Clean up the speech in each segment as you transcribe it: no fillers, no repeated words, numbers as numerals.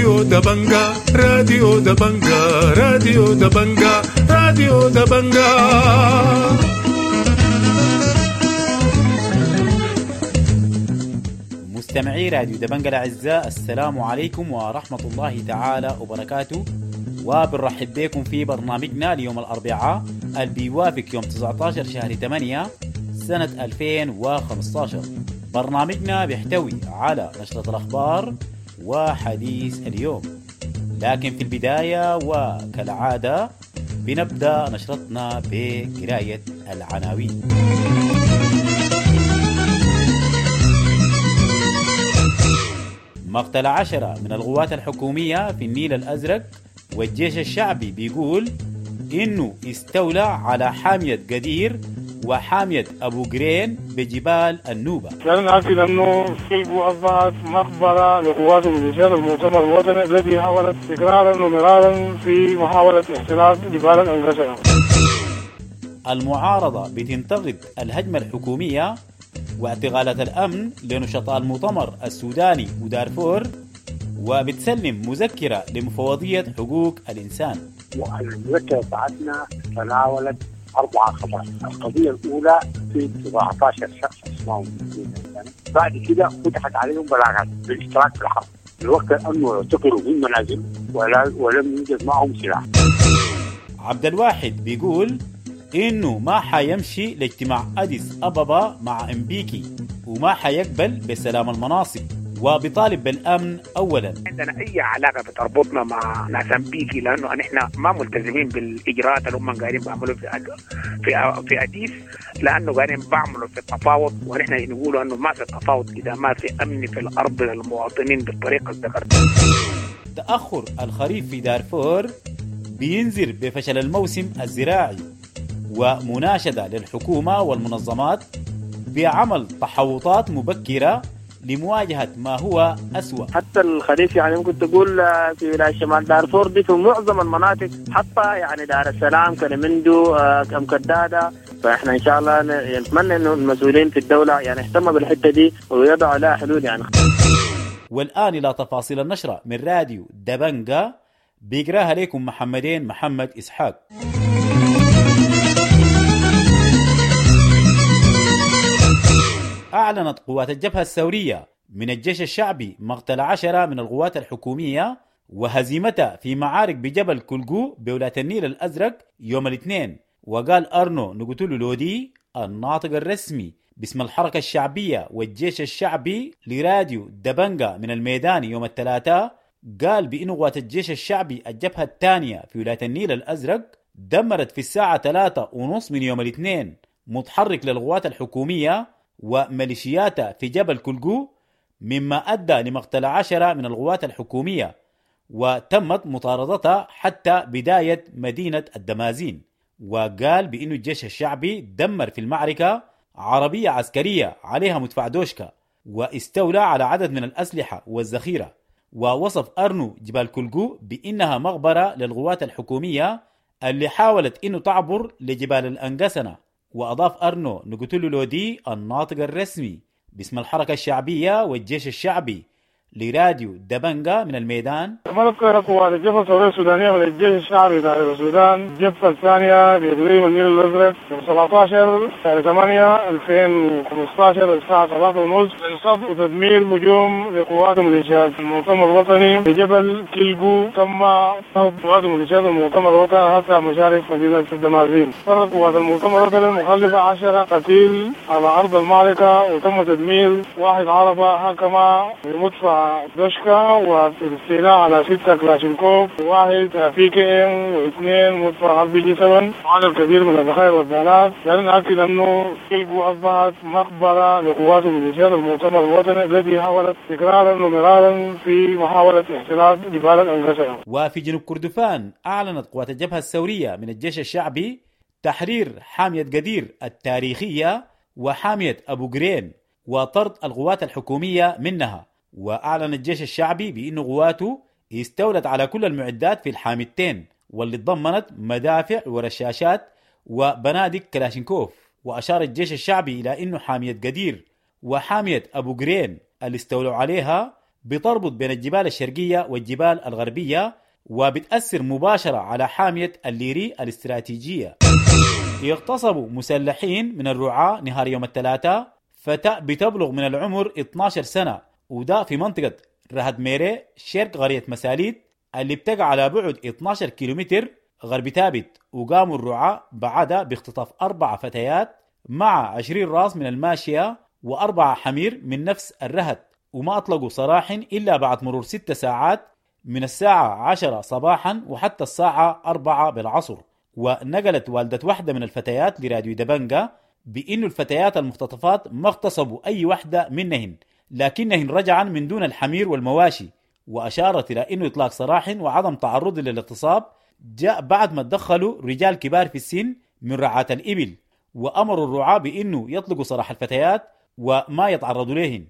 راديو دبنجا، راديو دبنجا، راديو دبنجا، راديو دبنجا. مستمعي راديو دبنجا الأعزاء، السلام عليكم ورحمة الله تعالى وبركاته، وبنرحب بكم في برنامجنا ليوم الأربعاء اللي بيوافق يوم 19 شهر 8 سنة 2015. برنامجنا بيحتوي على نشرة الأخبار وحديث اليوم، لكن في البداية وكالعادة بنبدأ نشرتنا بقراية العناوين. مقتل 10 من القوات الحكومية في النيل الأزرق، والجيش الشعبي بيقول إنه استولى على حامية قدير وحامية أبو قرين بجبال النوبة. لأن نأكد أنه كيلبو أصبحت مقبرة لقوات وميليشيات المؤتمر الوطني التي حاولت تكرارا ومرارا في محاولة احتلال جبال الأنقسنا. المعارضة بتنتقد الهجمة الحكومية واعتقالات الأمن لنشطاء المؤتمر السوداني ودارفور، وبتسلم مذكرة لمفوضية حقوق الإنسان. المذكرة بتاعتنا تناولت 4 قضايا. القضية الأولى في 19 شخص اسمهم، بعد كده فتحت عليهم بلاغات بالاشتراك في الحرب الوقت أنه اعتقلوا من منازل ولم يوجد معهم سلاح. عبد الواحد بيقول إنه ما حيمشي لاجتماع أديس أبابا مع أمبيكي، وما حيقبل بسلام المناصب، وبيطالب بالأمن أولا. عندنا أي علاقة بتربطنا مع ناس أمبيكي، لأنه نحن ما ملتزمين بالإجراءات اللي هم قاعدين بيعملوا في أديس، لأنه قاعدين بيعملوا في التفاوض، ونحن نقول أنه ما في تفاوض إذا ما في أمن في الأرض للمواطنين بالطريقة الذكرتها. تأخر الخريف في دارفور بينذر بفشل الموسم الزراعي، ومناشدة للحكومة والمنظمات بعمل تحوطات مبكرة لمواجهة ما هو أسوأ. حتى الخريف يعني ممكن تقول في ولاية شمال دارفور دي في معظم المناطق، حتى يعني دار السلام، كلمندو، أم كدادة. فإحنا إن شاء الله نتمنى إنه المسؤولين في الدولة يعني يهتموا بالحتة دي ويضعوا لها حلول يعني. والآن إلى تفاصيل النشرة من راديو دبنجا، بيقراها لكم محمدين محمد إسحاق. أعلنت قوات الجبهة الثورية من الجيش الشعبي مقتل 10 من القوات الحكومية وهزيمتها في معارك بجبل كلجو بولاية النيل الأزرق يوم الاثنين. وقال أرنو نقتلو لودي الناطق الرسمي باسم الحركة الشعبية والجيش الشعبي لراديو دبنجا من الميدان يوم الثلاثاء، قال بأن قوات الجيش الشعبي الجبهة الثانية في ولاية النيل الأزرق دمرت في الساعة 3:30 من يوم الاثنين متحرك للقوات الحكومية وميليشياتها في جبل كلجو، مما أدى لمقتل 10 من القوات الحكومية، وتمت مطاردتها حتى بداية مدينة الدمازين. وقال بأن الجيش الشعبي دمر في المعركة عربية عسكرية عليها مدفع دوشكا، واستولى على عدد من الأسلحة والذخيرة. ووصف أرنو جبال كلجو بأنها مقبرة للقوات الحكومية اللي حاولت أنه تعبر لجبال الأنقسنة. وأضاف أرنو نقتلو لودي الناطق الرسمي باسم الحركة الشعبية والجيش الشعبي لراديو دبنجا من الميدان: مذكرة قوات الجبهة الثورية السودانية من الجيش الشعبي داخل السودان، الجبهة الثانية بإقليم النيل الأزرق، يوم 17/8/2015 الساعة 3:30 لصد وتدمير هجوم لقوات وميليشيات المؤتمر الوطني بجبل كيلجو. تم طرد قوات وميليشيات المؤتمر الوطني حتى مشارف مدينة الدمازين. طرد قوات المؤتمر الوطني المخلفة 10 قتيل على أرض المعركة، وتم تدمير 1 عربة حكمة بمدفع دوشكا، والاستيلاء على 6 كلاشينكوف، 1 PKM، و2 مدفع RPG 7، وعدد كبير من الذخائر والبيانات. لأن نأكد أنه كيلجو أصبحت مقبرة لقوات وميليشيات المؤتمر الوطني التي حاولت تكرارا ومرارا في محاولة احتلال جبال الأنقسنا. وفي جنوب كردفان أعلنت قوات الجبهة الثورية من الجيش الشعبي تحرير حامية قدير التاريخية وحامية أبو قرين وطرد القوات الحكومية منها. وأعلن الجيش الشعبي بأن قواته استولت على كل المعدات في الحاميتين، واللي تضمنت مدافع ورشاشات وبنادق كلاشينكوف. وأشار الجيش الشعبي إلى أنه حامية قدير وحامية أبو قرين اللي استولوا عليها بتربط بين الجبال الشرقية والجبال الغربية، وبتأثر مباشرة على حامية الليري الاستراتيجية. اغتصبوا مسلحين من الرعاة نهار يوم الثلاثاء فتاة بتبلغ من العمر 12 سنة، وده في منطقة رهد ميري شرق قرية مساليت اللي بتقع على بعد 12 كيلومتر غرب ثابت. وقاموا الرعاة بعدها باختطاف 4 فتيات مع 20 راس من الماشية و4 حمير من نفس الرهد، وما أطلقوا سراح إلا بعد مرور 6 ساعات من الساعة 10 صباحا وحتى الساعة 4 بالعصر. ونقلت والدة واحدة من الفتيات لراديو دبنجا بأن الفتيات المختطفات ما اغتصبوا أي واحدة منهن، لكنهن رجعا من دون الحمير والمواشي. وأشارت إلى أنه إطلاق سراح وعدم تعرض للاغتصاب جاء بعد ما تدخلوا رجال كبار في السن من رعاة الإبل، وأمروا الرعاة بأنه يطلقوا سراح الفتيات وما يتعرضوا لهن.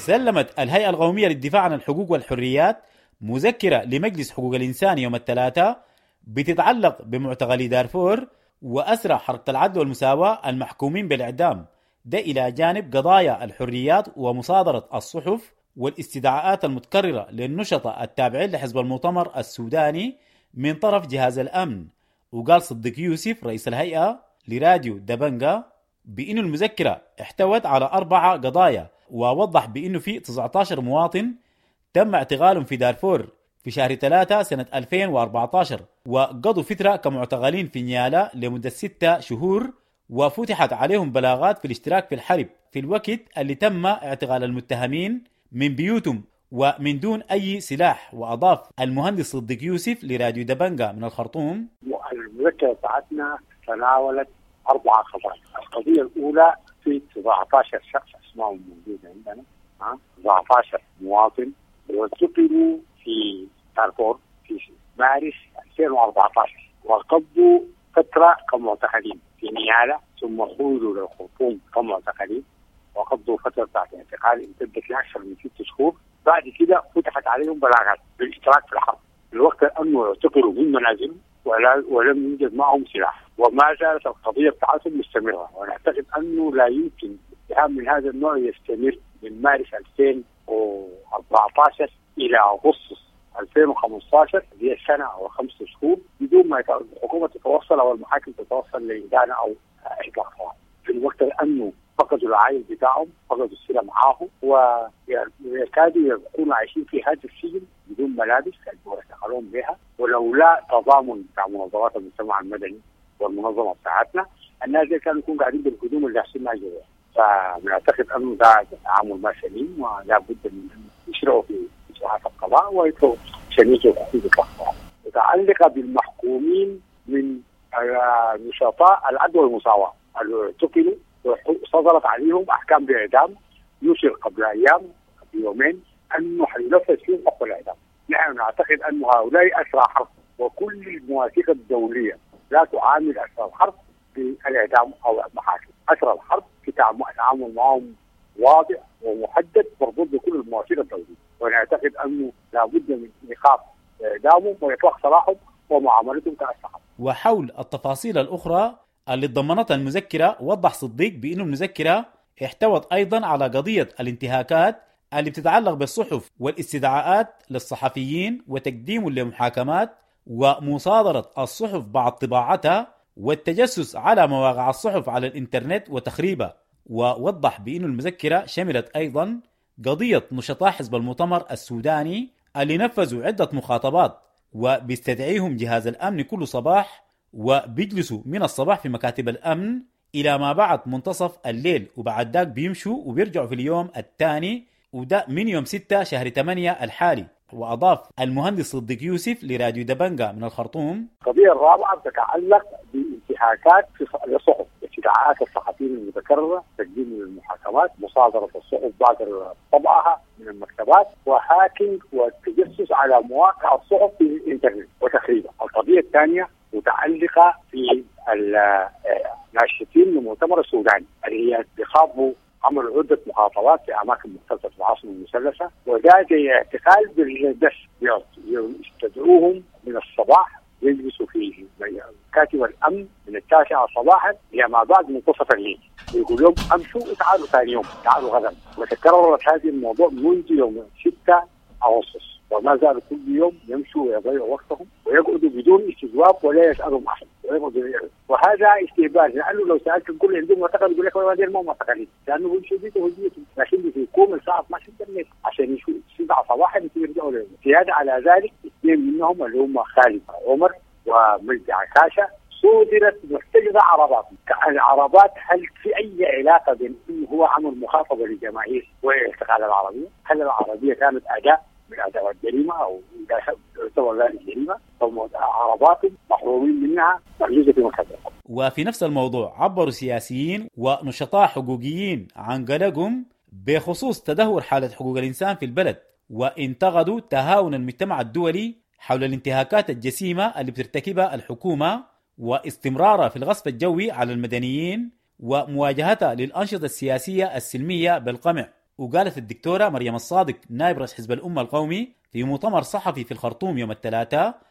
سلمت الهيئة القومية للدفاع عن الحقوق والحريات مذكرة لمجلس حقوق الإنسان يوم الثلاثاء بتتعلق بمعتقلي دارفور وأسرى حركة العدل والمساواة المحكومين بالإعدام، ده إلى جانب قضايا الحريات ومصادرة الصحف والاستدعاءات المتكررة للنشطاء التابعين لحزب المؤتمر السوداني من طرف جهاز الأمن. وقال صديق يوسف رئيس الهيئة لراديو دبنجا بأن المذكرة احتوت على 4 قضايا، ووضح بأنه في 19 مواطن تم اعتقالهم في دارفور في شهر 3 سنة 2014، وقضوا فترة كمعتقلين في نيالا لمدة 6 شهور، وفتحت عليهم بلاغات في الاشتراك في الحرب في الوقت اللي تم اعتقال المتهمين من بيوتهم ومن دون أي سلاح. وأضاف المهندس صديق يوسف لراديو دبنجا من الخرطوم: المذكرة بتاعتنا تناولت 4 قضايا. القضية الأولى في 19 شخص أسمائهم موجودة عندنا، 19 مواطن واعتقلوا في دارفور في مارس 2014، وقضوا فترة كمعتقلين في نيالا، ثم خرجوا للخرطوم كمعتقلين وقضوا فترة بتاعت اعتقال امتدت لأكثر من 6 شهور. بعد كده فتحت عليهم بلاغات بالاشتراك في الحرب الوقت أنه اعتقلوا من منازلهم ولم يوجد معهم سلاح، وما زالت القضية بتاعتهم مستمرة. ونعتقد أنه لا يمكن اتهام من هذا النوع يستمر من مارس 2014 إلى أغسطس 2015، هي سنة أو 5 شهور، بدون ما الحكومة تتوصل أو المحاكم تتوصل لإدانة أو إطلاق سراح. في الوقت أنه فقدوا العائل بتاعهم، فقدوا السلة معاهم، ويكادوا يكونوا عايشين في هذا السجن بدون ملابس اللي بها، ولولا تضامن بتاع منظمات المجتمع المدني والمنظمة بتاعتنا الناس دي كانوا يكونوا قاعدين بالهدوم اللي حاسين جوا. فبنعتقد انه ده تعامل ما سليم، ولا بد من ان يشرعوا في اجراءات القضاء ويطلبوا شنيته وتحديد الاخطاء متعلقه بالمحكومين من نشطاء العدل والمساواة اللي اعتقلوا وصدرت عليهم احكام باعدام. نشر قبل ايام قبل يومين انه حينفذ فيهم حكم الاعدام. نحن نعتقد ان هؤلاء اسرى حرب، وكل المواثيق الدولية لا تعامل اسرى الحرب بالاعدام او المحاكم. اسرى الحرب في تعامل معهم واضح ومحدد مربوط بكل المواثيق الدولية، ونعتقد انه لابد من ايقاف اعدامهم واطلاق سراحهم ومعاملتهم كاسرى حرب. وحول التفاصيل الاخرى اللي تضمنتها المذكرة، وضح صديق بأن المذكرة احتوت أيضا على قضية الانتهاكات اللي بتتعلق بالصحف والاستدعاءات للصحفيين وتقديم لمحاكمات ومصادرة الصحف بعد طباعتها والتجسس على مواقع الصحف على الإنترنت وتخريبها. ووضح بأن المذكرة شملت أيضا قضية نشطاء حزب المؤتمر السوداني اللي نفذوا عدة مخاطبات وبيستدعيهم جهاز الأمن كل صباح وبيجلسوا من الصباح في مكاتب الأمن إلى ما بعد منتصف الليل، وبعد ذاك بيمشوا وبيرجعوا في اليوم الثاني، وده من يوم 6 شهر 8 الحالي. وأضاف المهندس صديق يوسف لراديو دبنجا من الخرطوم: القضية الرابعة تتعلق بانتهاكات في الصحف، استدعاءات الصحفيين المتكررة، تقديم للمحاكمات، مصادرة الصحف بعد طبعها من المكتبات، وهاكينج والتجسس على مواقع الصحف في الإنترنت وتخريبها. القضية الثانية متعلقة في الناشطين من المؤتمر السوداني اللي هي بيخاطبوا، عملوا عدة مخاطبات في أماكن مختلفة في العاصمة المثلثة، وده زي اعتقال بالدس، يستدعوهم من الصباح يجلسوا في كاتب الأمن من 9 صباحا إلى ما بعد منتصف الليل، ويقول لهم أمشوا وتعالوا ثاني يوم، تعالوا غدا. وتكررت هذه الموضوع منذ يوم 6 أغسطس، وما زالوا كل يوم يمشوا ويضيعوا وقتهم ويقعدوا بدون استجواب ولا يسألهم أحد ويقعدوا. وهذا استهبال، لأنه لو سألت الكل عندهم معتقد يقول لك والله ما معتقلين، لأنه بيمشوا بيته وبيتهم، لكن بيكون الساعة 12 بالليل عشان يشوفوا 7 صباحا يرجعوا لهم. زيادة على ذلك اثنين منهم اللي هم خالد عمر ومجدي عكاشة صودرت محتجزة عربات. العربات هل في أي علاقة بين إنه هو عمل مخاطبة للجماهير واعتقال العربية؟ هل العربية كانت أداة من أدوات جريمة أو يعتبر ذلك جريمة؟ عربات محرومين منها محجوزة في مكتب. وفي نفس الموضوع عبروا سياسيين ونشطاء حقوقيين عن قلقهم بخصوص تدهور حالة حقوق الإنسان في البلد، وانتقدوا تهاون المجتمع الدولي حول الانتهاكات الجسيمة اللي بترتكبها الحكومة واستمرارها في الغصب الجوي على المدنيين ومواجهتها للأنشطة السياسية السلمية بالقمع. وقالت الدكتورة مريم الصادق نائب رئيس حزب الأمة القومي في مؤتمر صحفي في الخرطوم يوم الثلاثاء،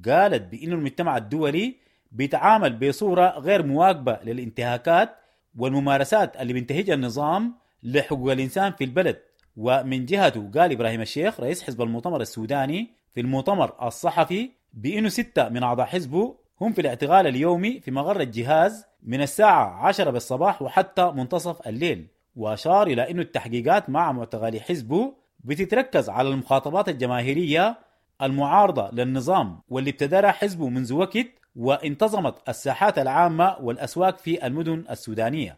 قالت بأن المجتمع الدولي بيتعامل بصورة غير مواكبة للانتهاكات والممارسات اللي بينتهجها النظام لحقوق الإنسان في البلد. ومن جهته قال إبراهيم الشيخ رئيس حزب المؤتمر السوداني في المؤتمر الصحفي بأنه 6 من أعضاء حزبه هم في الاعتقال اليومي في مقر الجهاز من الساعة 10 بالصباح وحتى منتصف الليل. وأشار إلى أن التحقيقات مع معتقلي حزبه بتتركز على المخاطبات الجماهيرية المعارضة للنظام واللي ابتدرها حزبه منذ وقت، وانتظمت الساحات العامة والأسواق في المدن السودانية.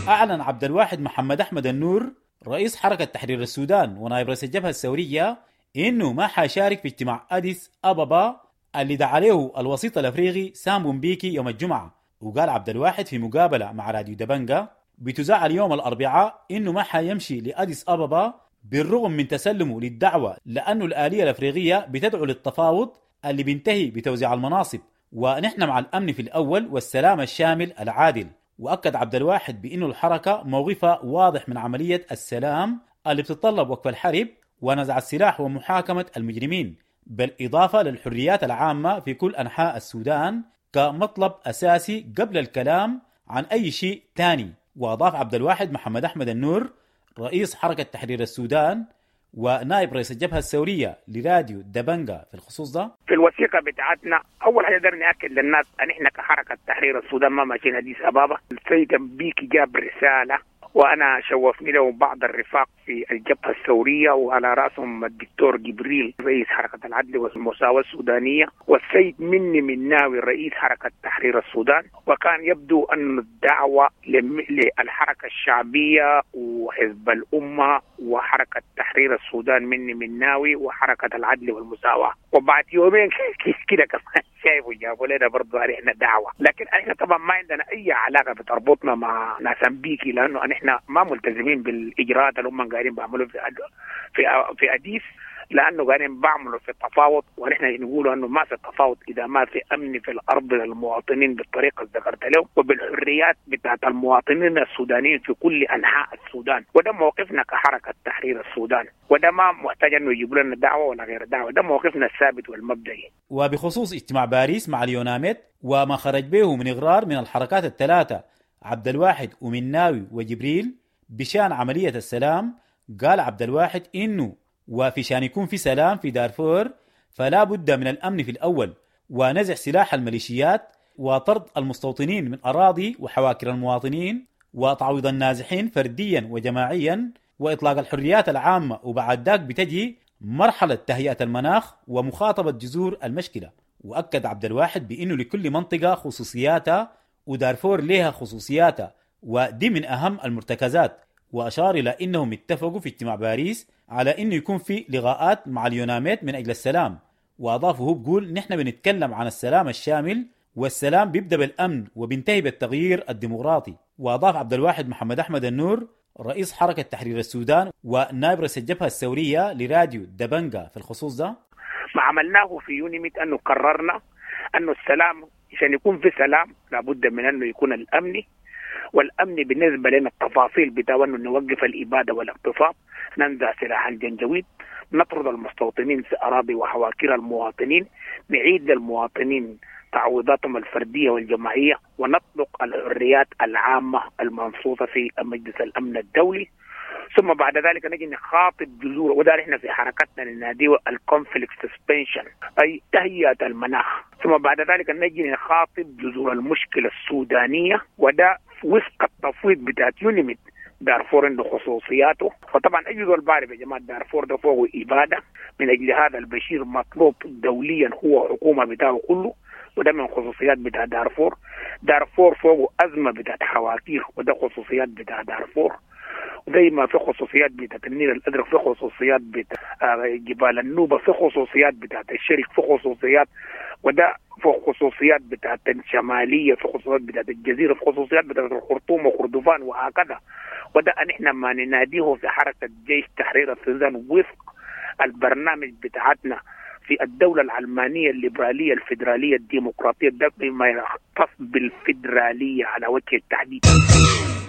أعلن عبد الواحد محمد أحمد النور رئيس حركة تحرير السودان ونائب رئيس الجبهة الثورية إنه ما حيشارك في اجتماع أديس أبابا اللي دعا له الوسيط الأفريقي سام بيكي يوم الجمعة. وقال عبد الواحد في مقابلة مع راديو دبنجا بتذاع اليوم الأربعاء إنه ما حيمشي لأديس أبابا بالرغم من تسلمه للدعوة، لأنه الآلية الأفريقية بتدعو للتفاوض اللي بينتهي بتوزيع المناصب، ونحن مع الأمن في الأول والسلام الشامل العادل. وأكد عبد الواحد بأنه الحركة موقفها واضح من عملية السلام اللي بتتطلب وقف الحرب ونزع السلاح ومحاكمة المجرمين، بالإضافة للحريات العامة في كل أنحاء السودان كمطلب أساسي قبل الكلام عن أي شيء تاني. وأضاف عبد الواحد محمد أحمد النور رئيس حركة تحرير السودان ونائب رئيس الجبهة الثورية لراديو دبنجا في الخصوص ده: في الوثيقة بتاعتنا أول حاجة قدرنا نأكد للناس أن إحنا كحركة تحرير السودان ما ماشيين أديس أبابا. السيد بيكي جاب رسالة وأنا شوفني له بعض الرفاق في الجبهة الثورية وعلى رأسهم الدكتور جبريل رئيس حركة العدل والمساواة السودانية والسيد مني مناوي رئيس حركة تحرير السودان. وكان يبدو أن الدعوة للحركة الشعبية وحزب الأمة وحركة تحرير السودان مني مناوي وحركة العدل والمساواة. وبعد يومين كده كمان شايفوا جابوا لنا برضه علينا دعوة، لكن احنا طبعا ما عندنا أي علاقة بتربطنا مع ناس أمبيكي، لأنه احنا ما ملتزمين بالإجراءات اللي هم قاعدين بيعملوا في أديس، لأنه قاعدين بعملوا في التفاوض، ونحن نقول أنه ما في التفاوض إذا ما في أمن في الأرض للمواطنين بالطريقة اللي ذكرت لهم وبالحريات بتاعت المواطنين السودانيين في كل أنحاء السودان. وده موقفنا كحركة تحرير السودان، وده ما محتاج أنه يجيبوا لنا دعوة ولا غير دعوة، ده موقفنا الثابت والمبدئي. وبخصوص اجتماع باريس مع اليوناميد وما خرج به من إغرار من الحركات الثلاثة عبد الواحد ومناوي وجبريل بشان عملية السلام، قال عبد الواحد إنه وفي شان يكون في سلام في دارفور فلا بد من الأمن في الأول ونزع سلاح الميليشيات وطرد المستوطنين من أراضي وحواكر المواطنين وتعويض النازحين فرديا وجماعيا وإطلاق الحريات العامة، وبعد ذاك بتجي مرحلة تهيئة المناخ ومخاطبة جذور المشكلة. وأكد عبد الواحد بأنه لكل منطقة خصوصياتها ودارفور لها خصوصياتها ودي من أهم المرتكزات. وأشار إلى أنهم اتفقوا في اجتماع باريس على أنه يكون في لقاءات مع اليوناميد من أجل السلام. وأضاف هو بيقول نحن بنتكلم عن السلام الشامل والسلام بيبدأ بالأمن وبينتهي بالتغيير الديمقراطي. وأضاف عبد الواحد محمد أحمد النور رئيس حركة تحرير السودان ونائب رئيس الجبهة الثورية لراديو دبنجا في الخصوص ده: ما عملناه في يونيميت أنه قررنا أنه السلام عشان يكون في سلام لابد من أنه يكون الأمني، والأمن بالنسبة لنا التفاصيل بتاع أنه نوقف الإبادة والاغتصاب، ننزع سلاح الجنجويد، نطرد المستوطنين في أراضي وحواكير المواطنين، نعيد للمواطنين تعويضاتهم الفردية والجماعية، ونطلق الحريات العامة المنصوصة في مجلس الأمن الدولي. ثم بعد ذلك نجي نخاطب جذور، وده احنا في حركتنا نناديه ال conflict suspension، اي تهيئة المناخ. ثم بعد ذلك نجي نخاطب جذور المشكلة السودانية، وده وفق التفويض بتاعت UNMID. دارفور عنده خصوصياته، وطبعا اي زول بعرف يا جماعة دارفور ده فوقه ابادة، من اجل هذا البشير مطلوب دوليا هو حكومة بتاعه كله، وده من خصوصيات بتاع دارفور. دارفور فوقه ازمة بتاعت حواكير، وده خصوصيات بتاع دارفور. زي ما في خصوصيات بتاعت النيل الازرق، في خصوصيات بتاع جبال النوبة، في خصوصيات بتاعت الشرق، في خصوصيات، وده في خصوصيات بتاعت الشمالية، في خصوصيات بتاعت الجزيرة، في خصوصيات بتاعت الخرطوم وخردفان وهكذا. وده نحن ما نناديه في حركة جيش تحرير السودان وفق البرنامج بتاعتنا في الدولة العلمانية الليبرالية الفيدرالية الديمقراطية، ده بما يختص بالفيدرالية على وجه التحديد.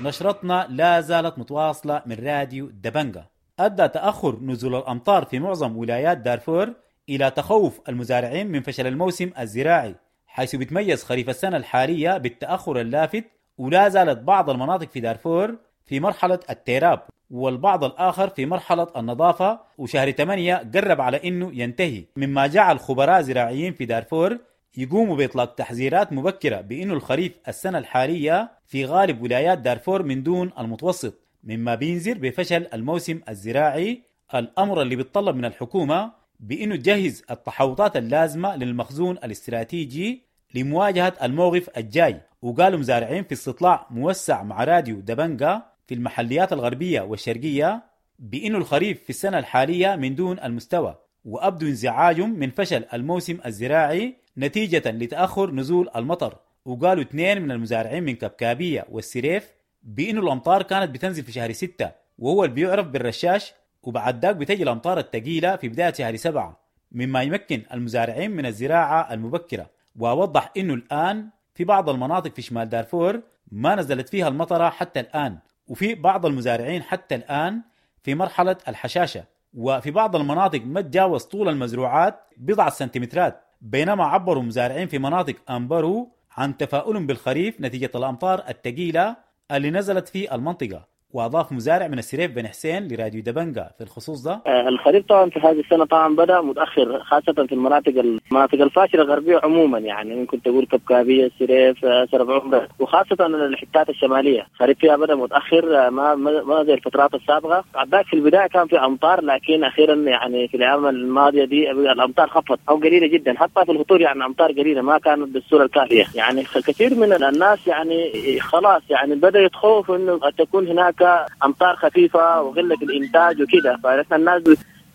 نشرتنا لا زالت متواصلة من راديو دبنجة. أدى تأخر نزول الأمطار في معظم ولايات دارفور إلى تخوف المزارعين من فشل الموسم الزراعي، حيث بتميز خريف السنة الحالية بالتأخر اللافت، ولا زالت بعض المناطق في دارفور في مرحلة التيراب والبعض الآخر في مرحلة النظافة، وشهر 8 قرب على إنه ينتهي، مما جعل خبراء زراعيين في دارفور يقوموا بإطلاق تحذيرات مبكرة بأنه الخريف السنة الحالية في غالب ولايات دارفور من دون المتوسط، مما بينذر بفشل الموسم الزراعي، الأمر اللي بيتطلب من الحكومة بأنه تجهز التحوطات اللازمة للمخزون الاستراتيجي لمواجهة الموقف الجاي. وقالوا مزارعين في استطلاع موسع مع راديو دبنجا في المحليات الغربية والشرقية بأنه الخريف في السنة الحالية من دون المستوى، وأبدوا انزعاجهم من فشل الموسم الزراعي نتيجة لتأخر نزول المطر. وقالوا 2 من المزارعين من كبكابية والسريف بأنه الأمطار كانت بتنزل في شهر 6 وهو اللي بيعرف بالرشاش، وبعد ذاك بتجي الأمطار الثقيلة في بداية شهر 7، مما يمكن المزارعين من الزراعة المبكرة. ووضح أنه الآن في بعض المناطق في شمال دارفور ما نزلت فيها المطرة حتى الآن، وفي بعض المزارعين حتى الآن في مرحلة الحشاشة، وفي بعض المناطق ما تجاوز طول المزروعات بضعة سنتيمترات، بينما عبروا مزارعين في مناطق أمبرو عن تفاؤلهم بالخريف نتيجة الأمطار الثقيلة اللي نزلت في المنطقة. وأضاف مزارع من السريف بن حسين لراديو دبنجا في الخصوص ده: الخريف طبعا في هذه السنة طبعا بدأ متأخر، خاصة في المناطق الفاشلة الغربية عموما، يعني ممكن تقول كبكابية، السريف، سرف عمرة، وخاصة الحتات الشمالية الخريف فيها بدأ متأخر، ما زي الفترات السابقة. عداك في البداية كان في أمطار، لكن أخيرا يعني في الأيام الماضية دي الأمطار خفت أو قليلة جدا، حتى في الهطول يعني أمطار قليلة ما كانت بالصورة الكافية. يعني كثير من الناس يعني خلاص يعني بدأ يتخوف إنه تكون هناك أمطار خفيفة وقلة الإنتاج وكده، فنحن الناس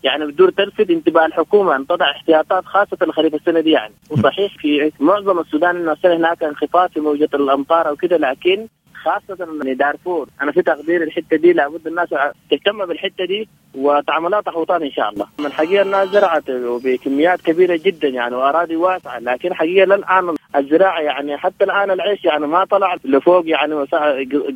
يعني بدور تلفت انتباه الحكومة أن تضع احتياطات خاصة الخريف السنة دي يعني. وصحيح في معظم السودان إنه السنة هناك انخفاض في موجة الأمطار وكده، لكن خاصة من دارفور أنا في تقدير الحتة دي لابد الناس تهتم بالحتة دي وتعملها تحوطات إن شاء الله. من حقيقة الناس زرعت بكميات كبيرة جدا يعني وأراضي واسعة، لكن حقيقة للآن الزراعة يعني حتى الآن العيش يعني ما طلع لفوق، يعني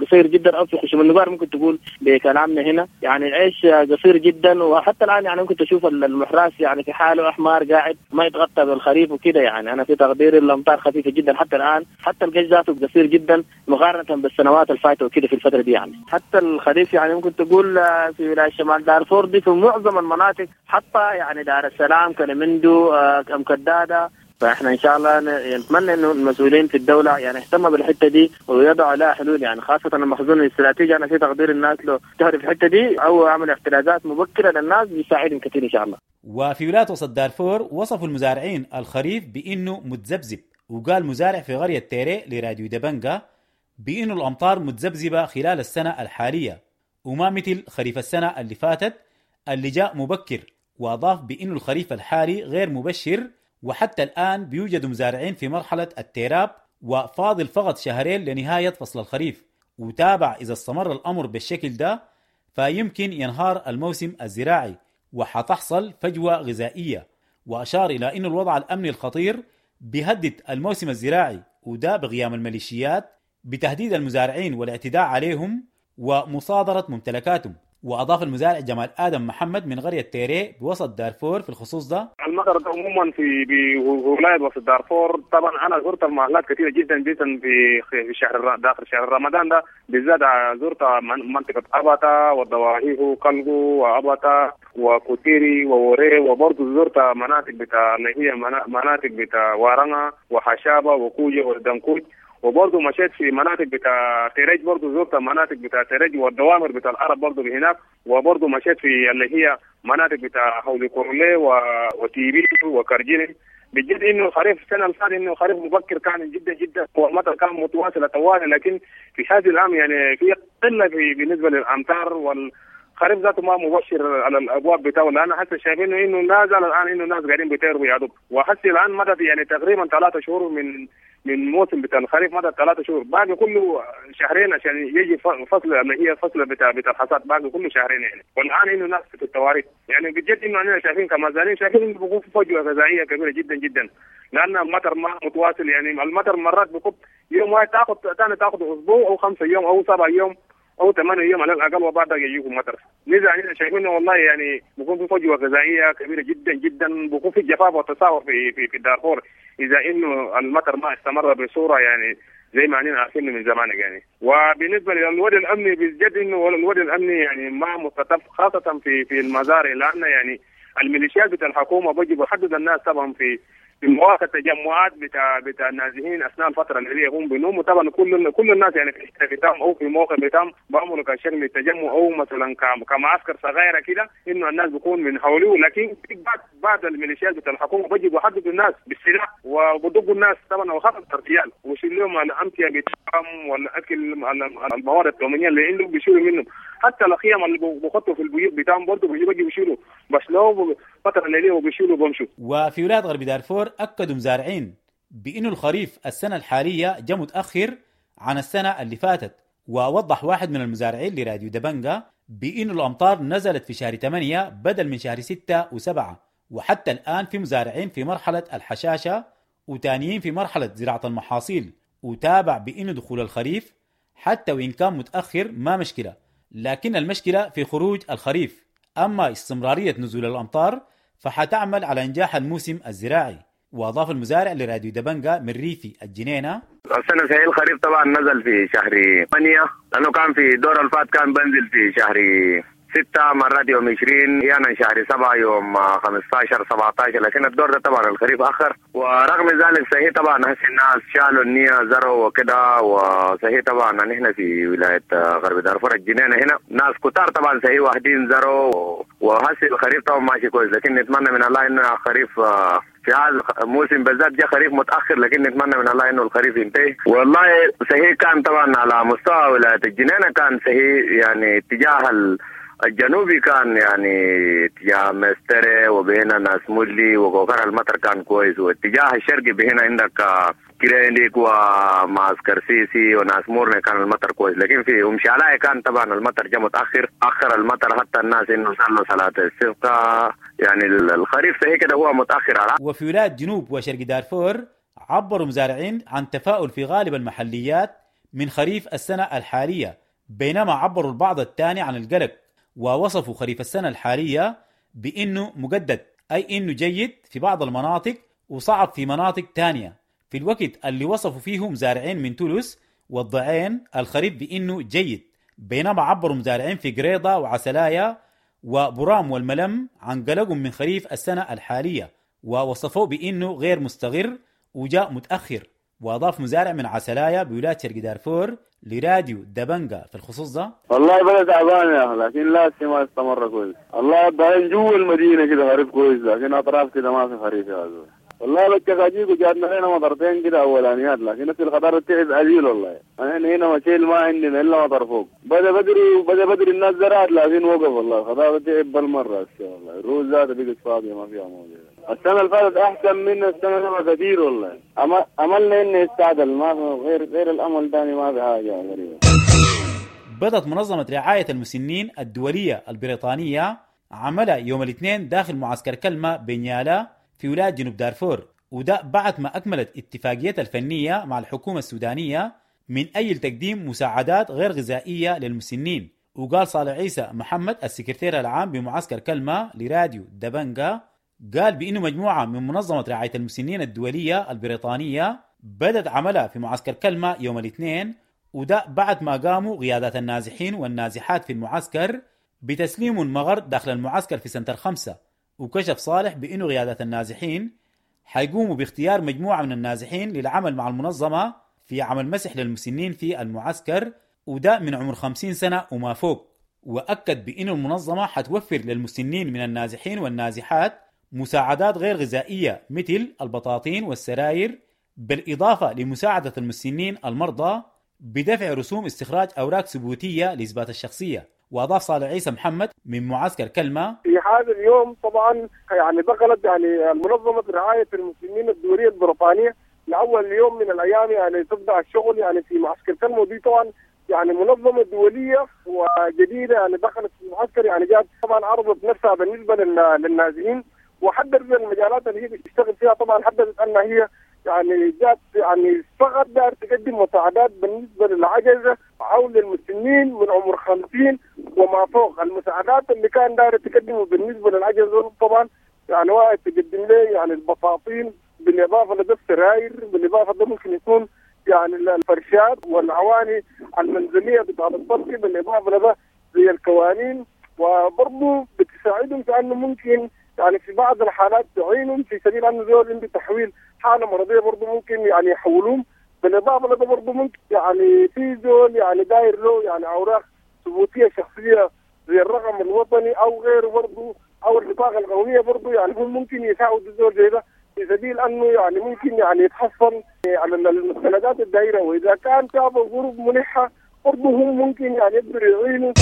قصير جدا أو في خشم النبار ممكن تقول بكلامنا هنا، يعني العيش قصير جدا. وحتى الآن يعني ممكن تشوف المحراس يعني في حاله أحمر قاعد ما يتغطى بالخريف وكده. يعني أنا في تقدير الأمطار خفيفة جدا حتى الآن، حتى القش ذاته قصير جدا مقارنة بالسنوات الفاتة وكده في الفترة دي يعني. حتى الخريف يعني ممكن تقول في ولاية شمال دارفور دي في معظم المناطق، حتى يعني دار السلام، كلمندو، أم كدادة. فاحنا ان شاء الله نتمنى انه المسؤولين في الدولة يعني يهتموا بالحتة دي ويضعوا لها حلول، يعني خاصة المخزون الاستراتيجي. انا في تقدير الناس لو تهرب في الحتة دي او عمل احترازات مبكرة للناس بيساعدهم كثير ان شاء الله. وفي ولاية وسط دارفور وصفوا المزارعين الخريف بانه متذبذب، وقال مزارع في قرية تيري لراديو دبنجا بانه الامطار متذبذبه خلال السنة الحالية وما مثل خريف السنة اللي فاتت اللي جاء مبكر، واضاف بانه الخريف الحالي غير مبشر، وحتى الآن بيوجد مزارعين في مرحلة التيراب وفاضل فقط شهرين لنهاية فصل الخريف. وتابع إذا استمر الأمر بالشكل ده فيمكن ينهار الموسم الزراعي وحتحصل فجوة غذائية. وأشار إلى أن الوضع الأمني الخطير بيهدد الموسم الزراعي، وده بقيام الميليشيات بتهديد المزارعين والاعتداء عليهم ومصادرة ممتلكاتهم. وأضاف المزارع جمال آدم محمد من قرية تيري بوسط دارفور في الخصوص ده: المطر ده عموما في بولاية وسط دارفور، طبعا أنا زرت المحلات كثيرة جدا جدا في شهر داخل شهر رمضان ده بالذات، زرت منطقة أبتا والضواحيه وكلغو وأبتا وكوتيري ووري، وبرضه زرت مناطق بتاع اللي هي مناطق بتاع وارنا وحشابة وكوجة والدنكوج، وبرضه مشيت في مناطق بتاع تريج، برضه زرت مناطق بتاع تريج والدوامر بتاع العرب برضه هناك، وبرضه مشيت في اللي هي مناطق بتاع حولي كورلي وتيبي وكرجيني. بجد انه خريف السنة اللي فاتت انه خريف مبكر كان جدا جدا، والمطر كان متواصل طوال، لكن في هذه العام يعني في قلة في بالنسبة للامطار، والخريف ذاته ما مبشر على الابواب بتاعه، لان حتى شايفين انه لا زال الان انه الناس قاعدين بيطيروا يا دوب، وحسي الان مدت يعني تقريبا 3 شهور من موسم بتاع الخريف، مدى 3 شهور، باقي كله شهرين عشان يجي فصل اللي هي فصل بتاع الحصاد، باقي كله شهرين يعني. والان انه ناس في التواريخ يعني بجد انه احنا شايفين كمزارعين شايفين انه بيكون في فجوة غذائية كبيرة جدا جدا، لان المطر ما متواصل، يعني المطر مرات بيكون يوم واحد تاخذ ثاني تاخذ اسبوع او 5 يوم او 7 يوم او 8 يوم على الاقل، وبعدها يجيكم مطر. لذا احنا شايفين والله يعني بيكون في فجوة غذائية كبيرة جدا جدا، بيكون في جفاف وتساهل في في في دارفور اذا انه المطر ما استمر بصورة يعني زي ما احنا عارفين من زمان يعني. وبالنسبة للوضع الامني بجد انه الوضع الامني يعني ما مستتب، خاصة في المزارع، لان يعني الميليشيات بتاع الحكومة بيجي بيحدد الناس طبعا في مواقع التجمعات بتاع النازحين اثناء الفترة اللي هم بينوموا، طبعا كل الناس يعني في بتاعهم او في موقع بتاعهم بيعملوا كشكل تجمع او مثلا كمعسكر صغيرة كده انه الناس بيكون من حوله، لكن في بعض الميليشيات بتاع الحكومة بيجي بيحددوا الناس بالسلاح وبدقوا الناس طبعا، وخاصة الرجال، ويشيلوا لهم الامتعة بتاعهم والاكل المواد التموينيه اللي عندهم بيشيلوا منهم، حتى الخيام اللي بيحطوا في البيوت بتاعهم برضه بيجوا بيشيلوا، بس لو فترة الليلية وبيشيلوا بمشوا. وفي ولاية غرب دارفور أكدوا مزارعين بأنه الخريف السنة الحالية جاء متأخر عن السنة اللي فاتت، ووضح واحد من المزارعين لراديو دبنجا بأنه الأمطار نزلت في شهر 8 بدل من شهر 6 و7، وحتى الآن في مزارعين في مرحلة الحشاشة وتانيين في مرحلة زراعة المحاصيل، وتابع بأنه دخول الخريف حتى وإن كان متأخر ما مشكلة، لكن المشكلة في خروج الخريف. أما استمرارية نزول الأمطار فحتعمل على إنجاح الموسم الزراعي. وأضاف المزارع لراديو دبنجا من ريفي الجنينة: السنة سهيل الخريف طبعا نزل في شهر 8، لأنه كان في دور الفات كان بنزل في شهر 6 مرات يوم 20، أحيانا شهر 7 يوم 15 17، لكن الدور ده طبعا الخريف أخر. ورغم ذلك صحيح طبعا هسه الناس شالوا النية زرعوا وكده، وصحيح طبعا نحن في ولاية غرب دارفور الجنينة هنا ناس كتار طبعا صحيح واحدين زرعوا، وهسه الخريف طبعا ماشي كويس، لكن نتمنى من الله إنه خريف في هذا الموسم بالذات جاء خريف متأخر، لكن نتمنى من الله إنه الخريف ينتهي. والله صحيح كان طبعا على مستوى ولاية الجنينة كان صحيح يعني اتجاه الجنوبي كان يعني اتجاه مستري وبهنا ناس مولي وكوكر المطر كان كويس، واتجاه الشرقي بهنا عندك كرينديك ومعسكر سيسي وناس مورنا كان المطر كويس، لكن في أم شعلاء كان طبعا المطر جاء متأخر، أخر المطر حتى الناس إنه صلوا صلاة الاستسقاء، يعني الخريف صحيح كده هو متأخر على. وفي ولاية جنوب وشرق دارفور عبروا مزارعين عن تفاؤل في غالب المحليات من خريف السنة الحالية، بينما عبروا البعض الثاني عن القلق ووصفوا خريف السنة الحالية بأنه مجدد، أي أنه جيد في بعض المناطق وصعب في مناطق تانية، في الوقت اللي وصفوا فيه مزارعين من تولوس والضعين الخريف بأنه جيد، بينما عبروا مزارعين في قريضة وعسلايا وبرام والملم عن قلقهم من خريف السنة الحالية ووصفوه بأنه غير مستقر وجاء متأخر. وأضاف مزارع من عسلايا بولاية شرق دارفور لراديو دبنجا في الخصوص ده: والله بلد تعبان يا أخي، لكن لا ما استمر كويس، والله بعدين جوا المدينة كده خريف كويس، لكن أطراف كده ما في خريف يا زول. والله بتشاكيك وجاتنا هنا مطرتين كده أولانيات، لكن نفس الخضار تعب قليل والله. أنا هنا مشيل ما عندنا إلا مطر فوق، بدأ بدري الناس زرعت لكن وقف والله، الخضار تعب بالمرة والله، الروز ذاته بقت فاضية ما فيها موجة. السنة اللي فاتت أحسن من السنة دي كثير والله، أملنا إنه يستعدل، ما غير الأمل ثاني ما في حاجة غريبة. بدأت منظمة رعاية المسنين الدولية البريطانية عملها يوم الاثنين داخل معسكر كلمة بنيالا في ولاية جنوب دارفور، وده بعد ما أكملت اتفاقيتها الفنية مع الحكومة السودانية من أجل تقديم مساعدات غير غذائية للمسنين. وقال صالح عيسى محمد السكرتير العام بمعسكر كلمة لراديو دبنجا، قال بأنه مجموعة من منظمة رعاية المسنين الدولية البريطانية بدت عملها في معسكر كلمة يوم الاثنين، وده بعد ما قاموا قيادات النازحين والنازحات في المعسكر بتسليم المغر داخل المعسكر في سنتر 5. وكشف صالح بأنه قيادات النازحين حيقوموا باختيار مجموعة من النازحين للعمل مع المنظمة في عمل مسح للمسنين في المعسكر، وده من عمر 50 سنة وما فوق. وأكد بأن المنظمة حتوفر للمسنين من النازحين والنازحات مساعدات غير غذائية مثل البطاطين والسراير، بالإضافة لمساعدة المسنين المرضى بدفع رسوم استخراج أوراق ثبوتية لإثبات الشخصية. وأضاف صالح عيسى محمد من معسكر كلمة: في هذا اليوم طبعا يعني دخلت يعني منظمة رعاية المسنين الدولية البريطانية لأول يوم من الأيام يعني تبدأ الشغل يعني في معسكر كلمة، ودي طبعا يعني منظمة دولية وجديدة يعني دخلت في المعسكر، يعني جات طبعا عرضت نفسها بالنسبة للنازحين وحددت المجالات اللي هي بتشتغل فيها. طبعا حددت أنها هي يعني جات يعني فقط دار تقدم مساعدات بالنسبة للعجزة أو للمسنين من عمر 50 وما فوق. المساعدات اللي كان دار تقدمه بالنسبة للعجزة طبعا يعني واحد تقدم له يعني البطاطين، بالإضافة لده السراير، بالإضافة ده ممكن يكون يعني الفرشات والعواني المنزلية بتاع الطبخ، بالإضافة لده زي الكوانين، وبرضه بتساعدهم في أنه ممكن يعني في بعض الحالات تعينهم في سبيل أنه زول عنده تحويل حالة مرضية برضه ممكن يعني يحولوهم. بالإضافة لده برضه ممكن يعني في زول يعني داير له يعني أوراق ثبوتية شخصية زي الرقم الوطني أو غيره برضه أو البطاقة القومية برضه، يعني هم ممكن يساعدوا زول زي ده في سبيل أنه يعني ممكن يعني يتحصل على المستندات الدائرة، وإذا كان شافوا ظروف ملحة برضه هم ممكن يعني يقدروا يعينوا.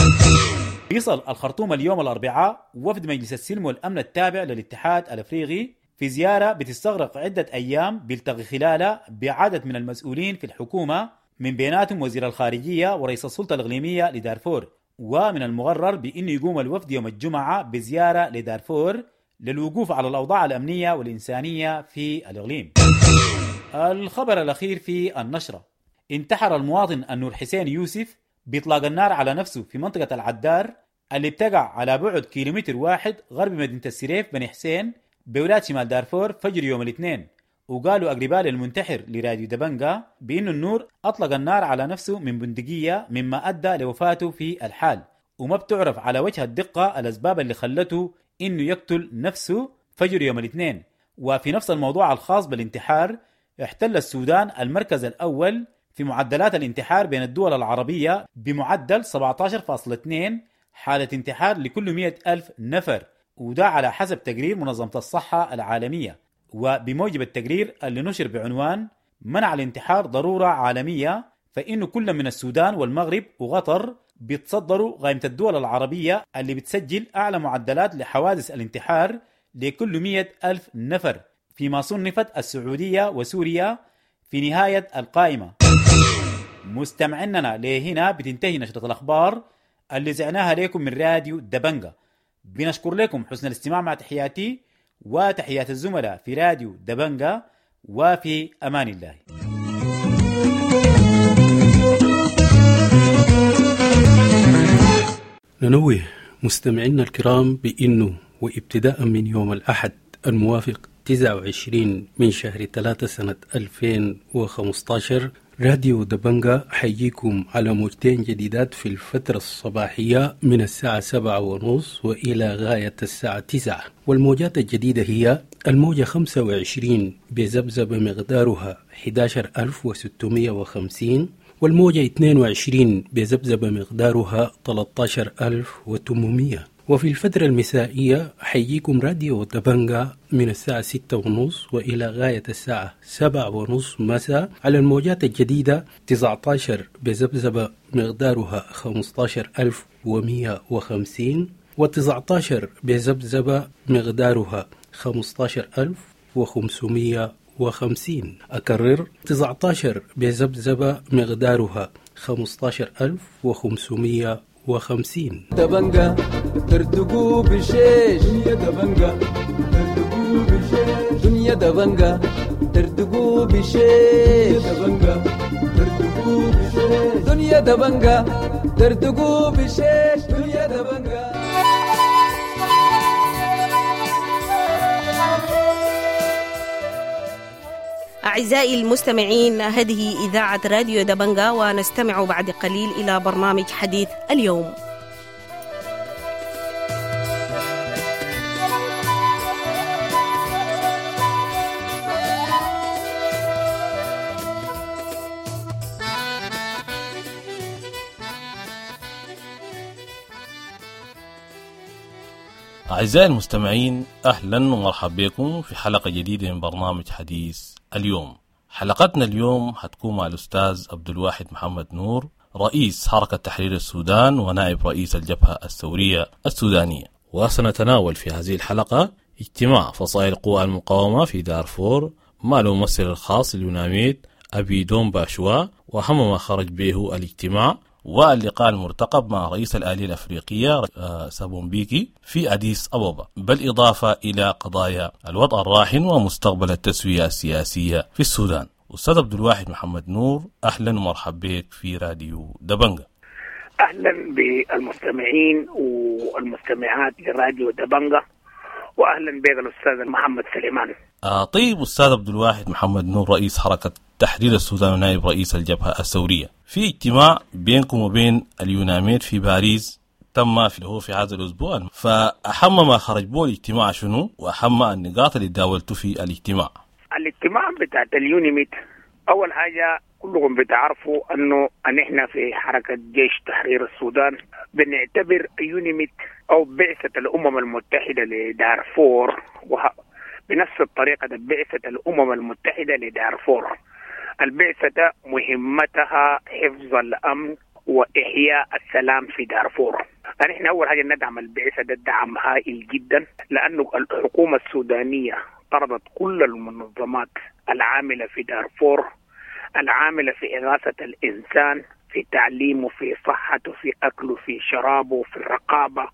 يصل الخرطوم اليوم الأربعاء وفد مجلس السلم والأمن التابع للاتحاد الأفريقي في زيارة بتستغرق عدة أيام بيلتقي خلالها بعدد من المسؤولين في الحكومة من بيناتهم وزير الخارجية ورئيس السلطة الإقليمية لدارفور. ومن المقرر بأنه يقوم الوفد يوم الجمعة بزيارة لدارفور للوقوف على الأوضاع الأمنية والإنسانية في الإقليم. الخبر الأخير في النشرة: انتحر المواطن النور حسين يوسف بإطلاق النار على نفسه في منطقة العدار اللي بتقع على بعد 1 كيلومتر غرب مدينة السريف بني حسين بولاية شمال دارفور فجر يوم الاثنين. وقالوا أقرباء للمنتحر لراديو دبنجا بأن النور أطلق النار على نفسه من بندقية مما أدى لوفاته في الحال، وما بتعرف على وجه الدقة الأسباب اللي خلته إنه يقتل نفسه فجر يوم الاثنين. وفي نفس الموضوع الخاص بالانتحار، احتل السودان المركز الأول في معدلات الانتحار بين الدول العربية بمعدل 17.2 حالة انتحار لكل 100,000 نفر، وده على حسب تقرير منظمة الصحة العالمية. وبموجب التقرير اللي نشر بعنوان منع الانتحار ضرورة عالمية، فإنه كل من السودان والمغرب وقطر بيتصدروا قائمة الدول العربية اللي بتسجل أعلى معدلات لحوادث الانتحار لكل 100,000 نفر، فيما صنفت السعودية وسوريا في نهاية القائمة. مستمعيننا لهنا بتنتهي نشرة الأخبار اللي زعناها لكم من راديو دبنجا. بنشكر لكم حسن الاستماع، مع تحياتي وتحيات الزملاء في راديو دبنجا، وفي أمان الله. ننوه مستمعينا الكرام بأنه وابتداء من يوم الأحد الموافق 29 من شهر 3 سنة 2015 راديو دبنجا حييكم على موجتين جديدات في الفترة الصباحية من الساعة 7:30 وإلى غاية الساعة 9. والموجات الجديدة هي الموجة 25 بذبذبة مقدارها 11650، والموجة 22 بذبذبة مقدارها 13800. وفي الفترة المسائية حييكم راديو دبنجا من الساعة 6:30 وإلى غاية الساعة 7:30 مساء على الموجات الجديدة 19 بذبذبة مقدارها 15150، و19 بذبذبة مقدارها 15550. أكرر، 19 بذبذبة مقدارها 15550. دبنجا ترتقو بشيش، دنيا دبنجا ترتقو بشيش، دنيا دبنجا ترتقو بشيش، دبنجا دردقوا بشيش دنيا دبنجا دردقوا بشيش دنيا دبنجا. أعزائي المستمعين، هذه إذاعة راديو دبنجا، ونستمع بعد قليل إلى برنامج حديث اليوم. أعزائي المستمعين، أهلا ومرحبا بكم في حلقة جديدة من برنامج حديث اليوم. حلقتنا اليوم هتكون مع الأستاذ عبد الواحد محمد نور، رئيس حركة تحرير السودان ونائب رئيس الجبهة الثورية السودانية. وسنتناول في هذه الحلقة اجتماع فصائل قوى المقاومة في دارفور مع الممثل الخاص لليوناميد أبي دوم باشوا، وأهم ما خرج به الاجتماع، واللقاء المرتقب مع رئيس الآلية الأفريقية ثابو مبيكي في أديس أبابا، بالإضافة إلى قضايا الوضع الراهن ومستقبل التسوية السياسية في السودان. أستاذ عبد الواحد محمد نور، أهلا ومرحبا بك في راديو دبنجا. أهلا بالمستمعين والمستمعات لراديو دبنجا، وأهلا بك الأستاذ محمد سليمان. طيب أستاذ عبد الواحد محمد نور، رئيس حركة تحرير السودان ونائب رئيس الجبهة الثورية، في اجتماع بينكم وبين اليوناميد في باريس تم في هذا الأسبوع، فأهم ما خرج به الاجتماع شنو، وأهم النقاط اللي داولتوا في الاجتماع؟ الاجتماع بتاع اليوناميد، أول حاجة كلكم بتعرفوا أنه نحن في حركة جيش تحرير السودان بنعتبر يوناميد أو بعثة الأمم المتحدة لدارفور، بنفس الطريقة بعثة الأمم المتحدة لدارفور. البعثة مهمتها حفظ الأمن وإحياء السلام في دارفور. نحن أول حاجة ندعم البعثة ده دعم هائل جدا، لأنه الحكومة السودانية طردت كل المنظمات العاملة في دارفور، العاملة في إغاثة الإنسان، في تعليمه، في صحته، في أكله، في شرابه، في الرقابة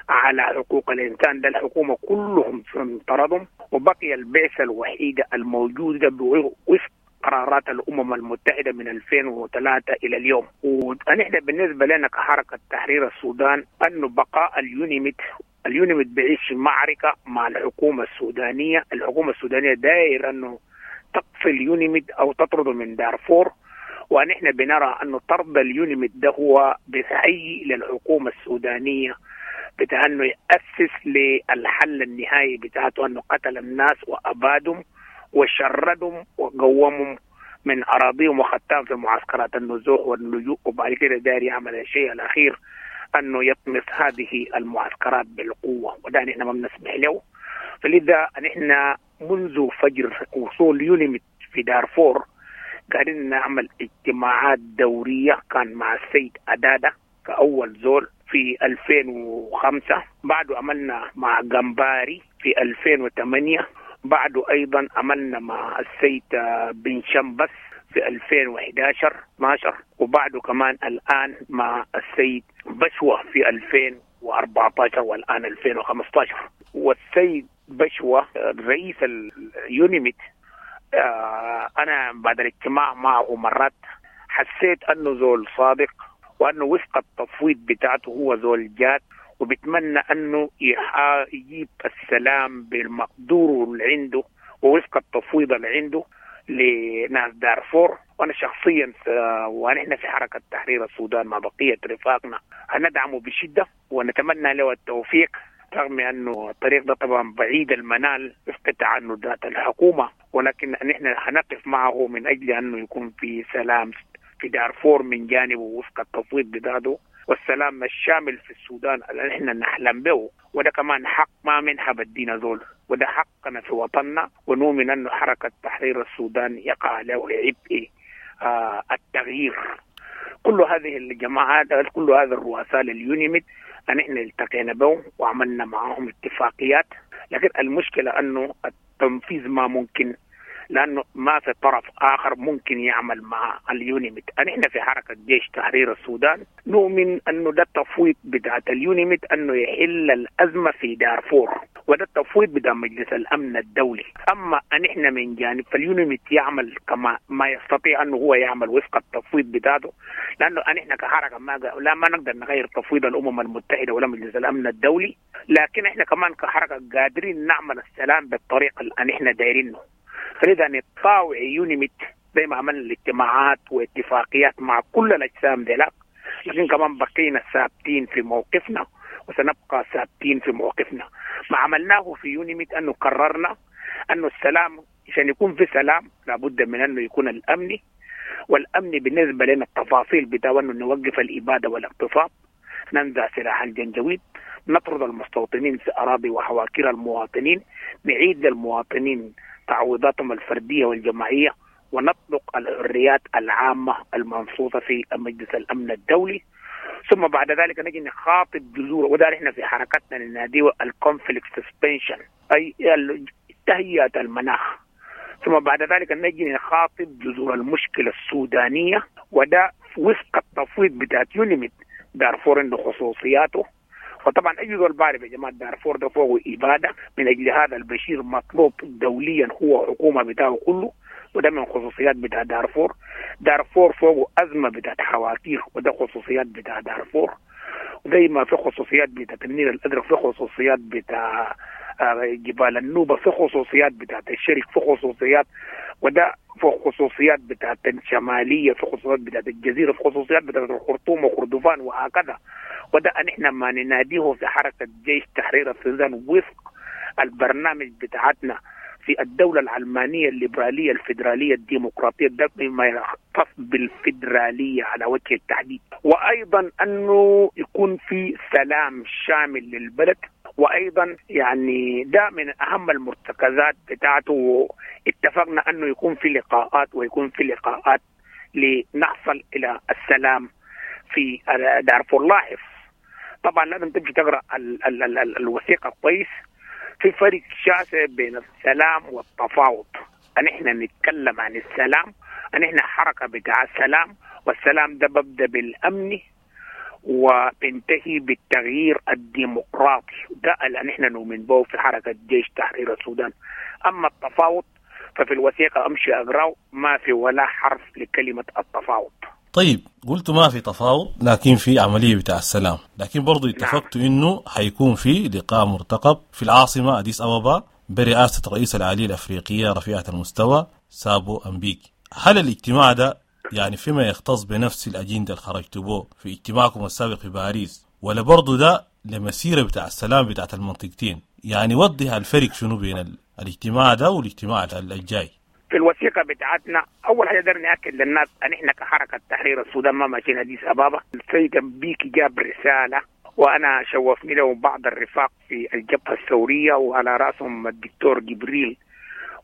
على حقوق الإنسان. ده الحكومة كلهم طردهم، وبقي البعثة الوحيدة الموجودة بوفق قرارات الأمم المتحدة من 2003 إلى اليوم. ونحن بالنسبة لنا كحركة تحرير السودان أنه بقاء اليونيميد بعيش معركة مع الحكومة السودانية. الحكومة السودانية داير أنه تقفل اليونيميد أو تطرده من دارفور، ونحن بنرى أنه طرد اليونيميد ده هو بيهيئ للحكومة السودانية بتاع أنه يأسس للحل النهائي بتاعته، أنه قتل الناس وأبادهم وشردهم وقومهم من أراضيهم وختام في معسكرات النزوح واللجوء، وبعد كده داير يعمل الشيء الأخير أنه يطمس هذه المعسكرات بالقوة، وده نحن ما بنسمح له. فلذا نحن منذ فجر وصول يونيميد في دارفور قاعدين نعمل اجتماعات دورية، كان مع السيد أدادة كأول زول في 2005، بعده عملنا مع جمباري في 2008، بعده أيضا عملنا مع السيد بن شمبس في 2011 12، وبعده كمان الآن مع السيد بشوة في 2014 والآن 2015. والسيد بشوة رئيس اليونيميد، أنا بعد الاجتماع معه مرات حسيت أنه زول صادق، وأنه وفق التفويض بتاعته هو زول جاد، وبتمنى أنه يجيب السلام بالمقدور اللي عنده ووفق التفويض اللي عنده لناس دارفور. وأنا شخصيا ونحن في حركة تحرير السودان مع بقية رفاقنا هندعمه بشدة ونتمنى له التوفيق، رغم أنه الطريق ده طبعا بعيد المنال وفق تعنتات الحكومة، ولكن نحن هنقف معه من أجل أنه يكون في سلام في دارفور من جانبه وفق التفويض بتاعته، والسلام الشامل في السودان اللي نحن نحلم به، وده كمان حق ما منها بدينا زول، وده حقنا في وطننا. ونؤمن أنه حركة تحرير السودان يقع له عبء التغيير. كل هذه الجماعات، كل هذا الرؤساء لليونيميد نحن التقينا بهم وعملنا معهم اتفاقيات، لكن المشكلة أنه التنفيذ ما ممكن، لأنه ما في طرف آخر ممكن يعمل مع اليونيميد. نحن في حركة جيش تحرير السودان نؤمن أنه ده التفويض بتاعت اليونيميد أنه يحل الأزمة في دارفور، وده التفويض بتاع مجلس الأمن الدولي. أما نحن من جانب فاليونيميد يعمل كما ما يستطيع أنه هو يعمل وفق التفويض بتاعته، لأنه نحن كحركة ما نقدر نغير تفويض الأمم المتحدة ولا مجلس الأمن الدولي، لكن احنا كمان كحركة قادرين نعمل السلام بالطريقة اللي احنا دايرينه. فلذا نطاوع يونيميد زي ما عملنا الاجتماعات واتفاقيات مع كل الأجسام ديلاك، لكن كمان بقينا ثابتين في موقفنا وسنبقى ثابتين في موقفنا. ما عملناه في يونيميد أنه قررنا أنه السلام عشان يكون في سلام لابد من أنه يكون الأمني، والأمن بالنسبة لنا التفاصيل بتاعه أنه نوقف الإبادة والاغتصاب، ننزع سلاح الجنجويد، نطرد المستوطنين في أراضي وحواكير المواطنين، نعيد للمواطنين تعويضاتهم الفردية والجماعية، ونطلق الحريات العامة المنصوصة في مجلس الأمن الدولي. ثم بعد ذلك نجي نخاطب جذور، وده احنا في حركتنا نناديه ال conflict suspension، أي تهيئة المناخ. ثم بعد ذلك نجي نخاطب جذور المشكلة السودانية، وده وفق التفويض بتاعت يونيميد. دارفور عنده خصوصياته، وطبعا اي زول بعرف يا جماعه دارفور ده فوق اباده، من اجل هذا البشير مطلوب دوليا هو حكومه بتاعه كله، وده من خصوصيات بتاع دارفور. دارفور فوق ازمه بتاعت حواكير، وده خصوصيات بتاع دارفور. وزي ما في خصوصيات بتاعت النيل الازرق، في خصوصيات بتاع جبال النوبه، في خصوصيات بتاعت الشرق، في خصوصيات، وده في خصوصيات بتاعت الشماليه، في خصوصيات بتاعت الجزيره، في خصوصيات بتاعت الخرطوم وخردفان وهكذا. وده نحن ما نناديه في حركه جيش تحرير السودان وفق البرنامج بتاعتنا في الدولة العلمانية الليبرالية الفيدرالية الديمقراطية، ده بما يختص بالفيدرالية على وجه التحديد. وأيضا أنه يكون في سلام شامل للبلد، وأيضا يعني ده من أهم المرتكزات بتاعته. اتفقنا أنه يكون في لقاءات، ويكون في لقاءات لنحصل إلى السلام في دارفور. لاحظ طبعا لازم تمشي تقرأ الوثيقة كويس. في فرق شاسع بين السلام والتفاوض. نحن نتكلم عن السلام، نحن حركة بتاع السلام، والسلام ده ببدأ بالأمن وبنتهي بالتغيير الديمقراطي، ده اللي نحن نؤمن به في حركة جيش تحرير السودان. أما التفاوض ففي الوثيقة أمشي أقرأه ما في ولا حرف لكلمة التفاوض. طيب قلت ما في تفاوض لكن في عملية بتاع السلام، لكن برضو اتفقتوا انه حيكون في لقاء مرتقب في العاصمة أديس أبابا برئاسة رئيس العالية الأفريقية رفيعة المستوى سابو أمبيكي. هل الاجتماع ده يعني فيما يختص بنفس الأجندة اللي خرجتوا به في اجتماعكم السابق في باريس، ولا برضو ده لمسيرة بتاع السلام بتاعت المنطقتين؟ يعني وضح الفرق شنو بين الاجتماع ده والاجتماع الجاي. في الوثيقة بتاعتنا أول حاجة دار نأكد للناس أن إحنا كحركة تحرير السودان ما ماشيين أديس أبابا. السيد أمبيكي جاب رسالة، وأنا شوفني له بعض الرفاق في الجبهة الثورية وعلى رأسهم الدكتور جبريل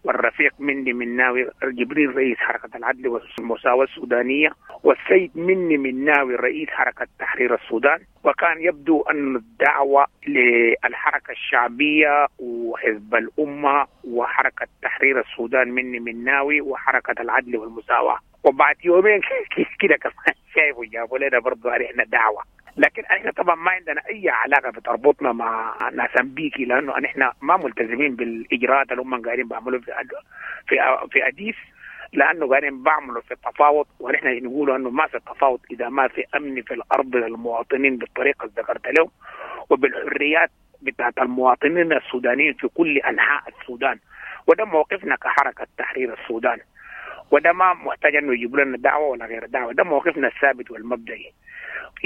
والرفيق مني مناوي، جبريل رئيس حركة العدل والمساواة السودانية، والسيد مني مناوي رئيس حركة تحرير السودان. وكان يبدو أن الدعوة للحركة الشعبية وحزب الأمة وحركة تحرير السودان مني مناوي وحركة العدل والمساواة. وبعد يومين كده كمان شايفوا جابوا لنا برضو علينا دعوة، لكن احنا طبعا ما عندنا اي علاقه بتربطنا مع ناس امبيكي، لانه احنا ما ملتزمين بالاجراءات اللي هم قاعدين بيعملوا في اديس، لانه قاعدين بيعملوا في التفاوض، ونحن نقول انه ما في التفاوض اذا ما في امن في الارض للمواطنين بالطريقه اللي ذكرت لهم، وبالحريات بتاعت المواطنين السودانيين في كل انحاء السودان. وده موقفنا كحركه تحرير السودان، وده ما محتاج انه يجيبوا لنا دعوه ولا غير دعوه، ده موقفنا الثابت والمبدئي.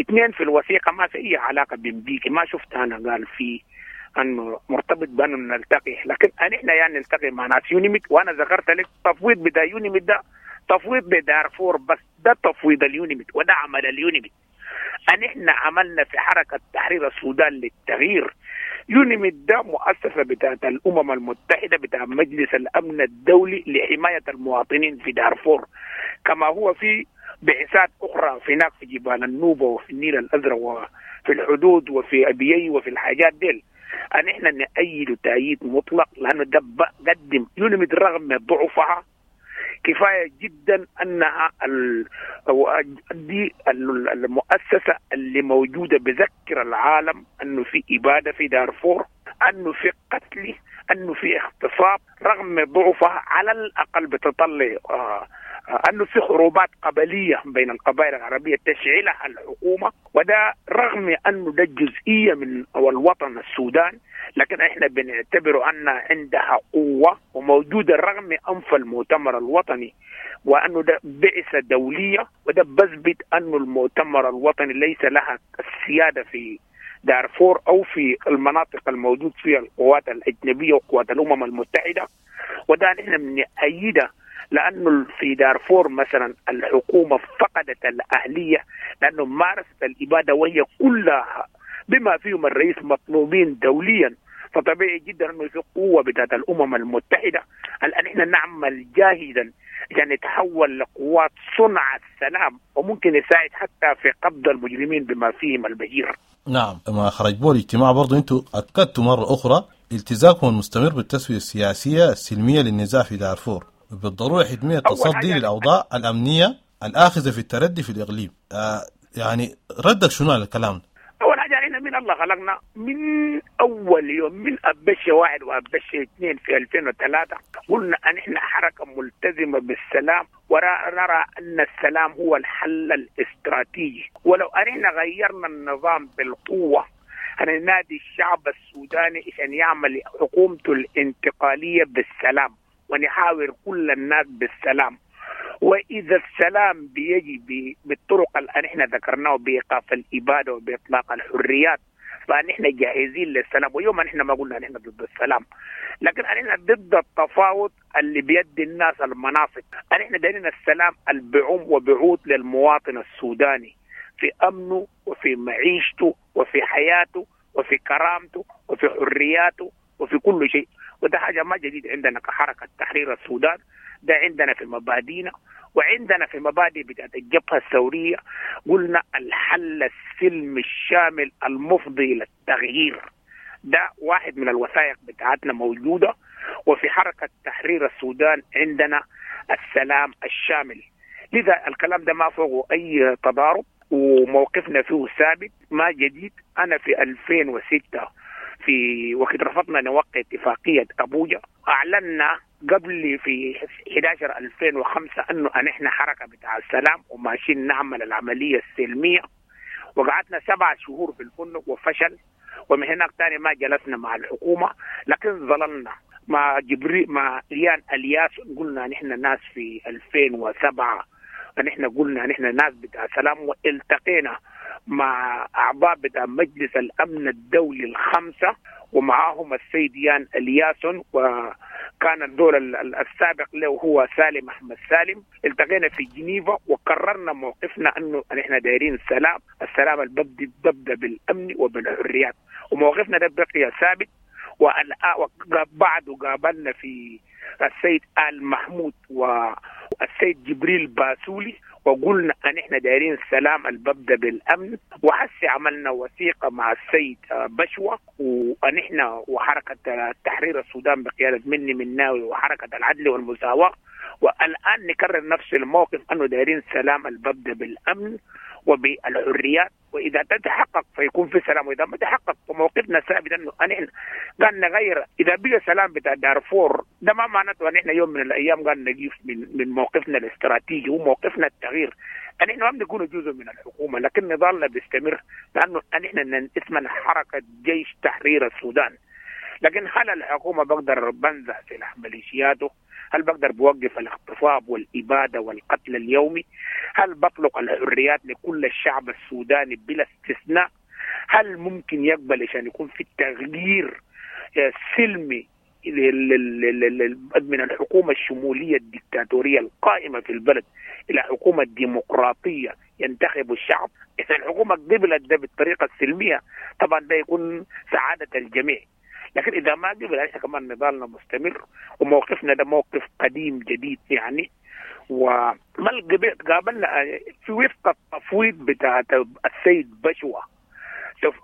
اثنين، في الوثيقة ما في أي علاقة بمبيكي، ما شفت أنا قال في أنه مرتبط بأنه نلتقي، لكن نحن يعني نلتقي مع ناس يونيميد. وأنا ذكرت لك تفويض بتاع يونيميد ده تفويض بدارفور بس، ده تفويض اليونيميد وده عمل اليونيميد. نحن عملنا في حركة تحرير السودان للتغيير. يونيميد ده مؤسسة بتاعت الأمم المتحدة بتاع مجلس الأمن الدولي لحماية المواطنين في دارفور، كما هو في بعثات أخرى في هناك في جبال النوبة وفي النيل الأزرق وفي الحدود وفي أبيي وفي الحاجات ديل. ان احنا نأيده تأييد مطلق، لانه ده قدم يونميد رغم ضعفها كفاية جدا انها دي المؤسسة اللي موجودة بذكر العالم انه في ابادة في دارفور، انه في قتل، انه في اغتصاب، رغم ضعفها على الاقل بتطلع انه في حروبات قبليه بين القبائل العربية تشعلها الحكومة، وده رغم انه ده جزئية من الوطن السودان، لكن احنا بنعتبره ان عندها قوة وموجودة رغم انف المؤتمر الوطني، وانه ده بعثه دولية، وده بثبت انه المؤتمر الوطني ليس لها السيادة في دارفور او في المناطق الموجود فيها القوات الاجنبية وقوات الامم المتحدة، وده نحن بنأيده لانه في دارفور مثلا الحكومة فقدت الاهلية لانه مارست الابادة وهي كلها بما فيهم الرئيس مطلوبين دوليا، فطبيعي جدا انه في قوة بتاعت الامم المتحدة. الان احنا نعمل جاهدا عشان نتحول لقوات صنع السلام وممكن يساعد حتى في قبض المجرمين بما فيهم البشير. نعم، ما خرج بو الاجتماع برضو انتم اكدتوا مرة اخرى التزامكم المستمر بالتسويه السياسية السلمية للنزاع في دارفور، بالضرورة حتمية التصدي للاوضاع الامنية الاخذه في التردي في الاقليم. يعني ردك شنو على الكلام ده؟ اول حاجة احنا من الله خلقنا من اول يوم من ابشه 1 وابشه 2 في 2003 قلنا ان احنا حركة ملتزمة بالسلام، ونرى ان السلام هو الحل الاستراتيجي، ولو ان احنا غيرنا النظام بالقوة هننادي الشعب السوداني عشان يعمل حكومته الانتقالية بالسلام، ونحاور كل الناس بالسلام. واذا السلام بيجي بالطرق اللي احنا ذكرناه بايقاف الابادة وباطلاق الحريات، فنحن جاهزين للسلام. ويوم نحن ما قلنا نحن ضد السلام، لكن نحن ضد التفاوض اللي بيدي الناس المناصب. نحن دايرين السلام اللي بعم وبعود للمواطن السوداني في امنه وفي معيشته وفي حياته وفي كرامته وفي حرياته وفي كل شيء. وده حاجة ما جديد عندنا كحركه تحرير السودان، ده عندنا في مبادئنا وعندنا في مبادئ بتاعت الجبهة الثورية. قلنا الحل السلمي الشامل المفضي للتغيير، ده واحد من الوثائق بتاعتنا موجودة. وفي حركة تحرير السودان عندنا السلام الشامل، لذا الكلام ده ما فوقه أي تضارب وموقفنا فيه ثابت ما جديد. أنا في 2006 في وقت رفضنا نوقع اتفاقية أبوجا، أعلنا قبل في 11/2005 أنه نحن حركة بتاع السلام وماشيين نعمل العملية السلمية، وقعدنا 7 شهور في الفندق وفشل، ومن هناك تاني ما جلسنا مع الحكومة، لكن ظللنا مع جبريل مع ريان الياس. قلنا نحن ناس في 2007 نحن قلنا نحن ناس بتاع سلام، والتقينا مع أعضاء بتاع مجلس الأمن الدولي 5 ومعاهم السيد يان الياسون، وكان الدور السابق له هو سالم أحمد سالم. التقينا في جنيفا وقررنا موقفنا أنه نحن دايرين السلام، السلام اللي ببدأ بالأمن وبالحريات، وموقفنا ده بقي ثابت. وبعده قابلنا في السيد آل محمود والسيد جبريل باسولي وقلنا ان احنا دايرين السلام اللي ببدا بالامن. وحسي عملنا وثيقة مع السيد بشوه، وان احنا وحركه تحرير السودان بقيادة مني مناوي وحركه العدل والمساواة، والان نكرر نفس الموقف انه دايرين السلام اللي ببدا بالامن وبالحريات، واذا تتحقق فيكون في سلام، واذا ما تحقق فموقفنا ثابت انه نحن قال نغير. اذا بقى سلام بتاع دارفور ده ما معناته ان احنا يوم من الايام قال نقيف من موقفنا الاستراتيجي وموقفنا التغيير. نحن ما بنكون جزء من الحكومة، لكن نضالنا بيستمر لانه نحن اسمنا حركة جيش تحرير السودان. لكن هل الحكومة بقدر بنزع سلاح ميليشياته؟ هل بقدر بوقف الاغتصاب والإبادة والقتل اليومي؟ هل بطلق الحريات لكل الشعب السوداني بلا استثناء؟ هل ممكن يقبل عشان يكون في تغيير سلمي من الحكومة الشمولية الدكتاتورية القائمة في البلد إلى حكومة ديمقراطية ينتخب الشعب؟ إذا الحكومة قبلت ده بالطريقة السلمية طبعا ده يكون سعادة الجميع، لكن إذا ما قبل احنا كمان نضالنا مستمر وموقفنا ده موقف قديم جديد يعني. وما قابلنا في وفق التفويض بتاع السيد بشوة،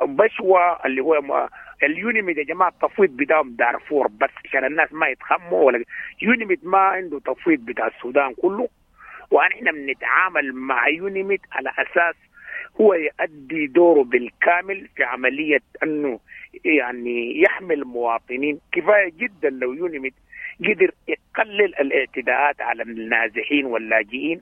بشوة اللي هو اليونيميد يا جماعة التفويض بتاعهم دارفور بس عشان الناس ما يتخموا، ولا يونيميد ما عنده تفويض بتاع السودان كله. ونحن بنتعامل مع يونيميد على اساس هو يؤدي دوره بالكامل في عملية انه يعني يحمي المواطنين. كفاية جدا لو يونيميد قدر يقلل الاعتداءات على النازحين واللاجئين،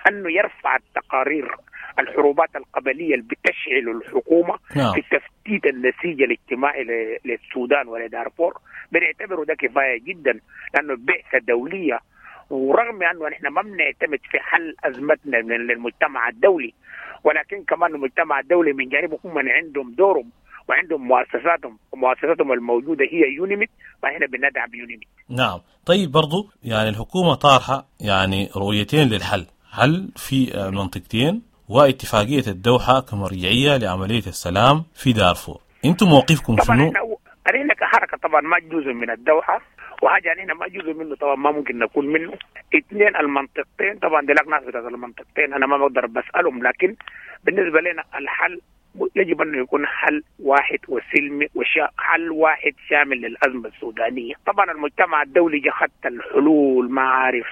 انه يرفع التقارير الحروبات القبلية اللي بتشعل الحكومة في تفتيت النسيج الاجتماعي للسودان ولدارفور. بنعتبره ده كفاية جدا لانه بعثه دولية، ورغم انه نحن ما بنعتمد في حل ازمتنا من المجتمع الدولي، ولكن كمان المجتمع الدولي من جانبه هم عندهم دورهم وعندهم مؤسساتهم، ومؤسساتهم الموجودة هي يونيميد، فاحنا بندعم يونيميد. نعم. طيب برضو يعني الحكومة طارحه يعني رؤيتين للحل، حل في منطقتين واتفاقيه الدوحة كمرجعيه لعملية السلام في دارفور. انتم موقفكم شنو؟ احنا كحركه طبعا ما جزء من الدوحة، وحاجه نحن ما جزء منه طبعا ما ممكن نكون منه. اثنين، المنطقتين طبعا ديلاك ناس بتاعت المنطقتين انا ما بقدر بسالهم، لكن بالنسبة لنا الحل يجب انه يكون حل واحد وسلمي وحل واحد شامل للازمة السودانية. طبعا المجتمع الدولي جا خدت الحلول، ما عارف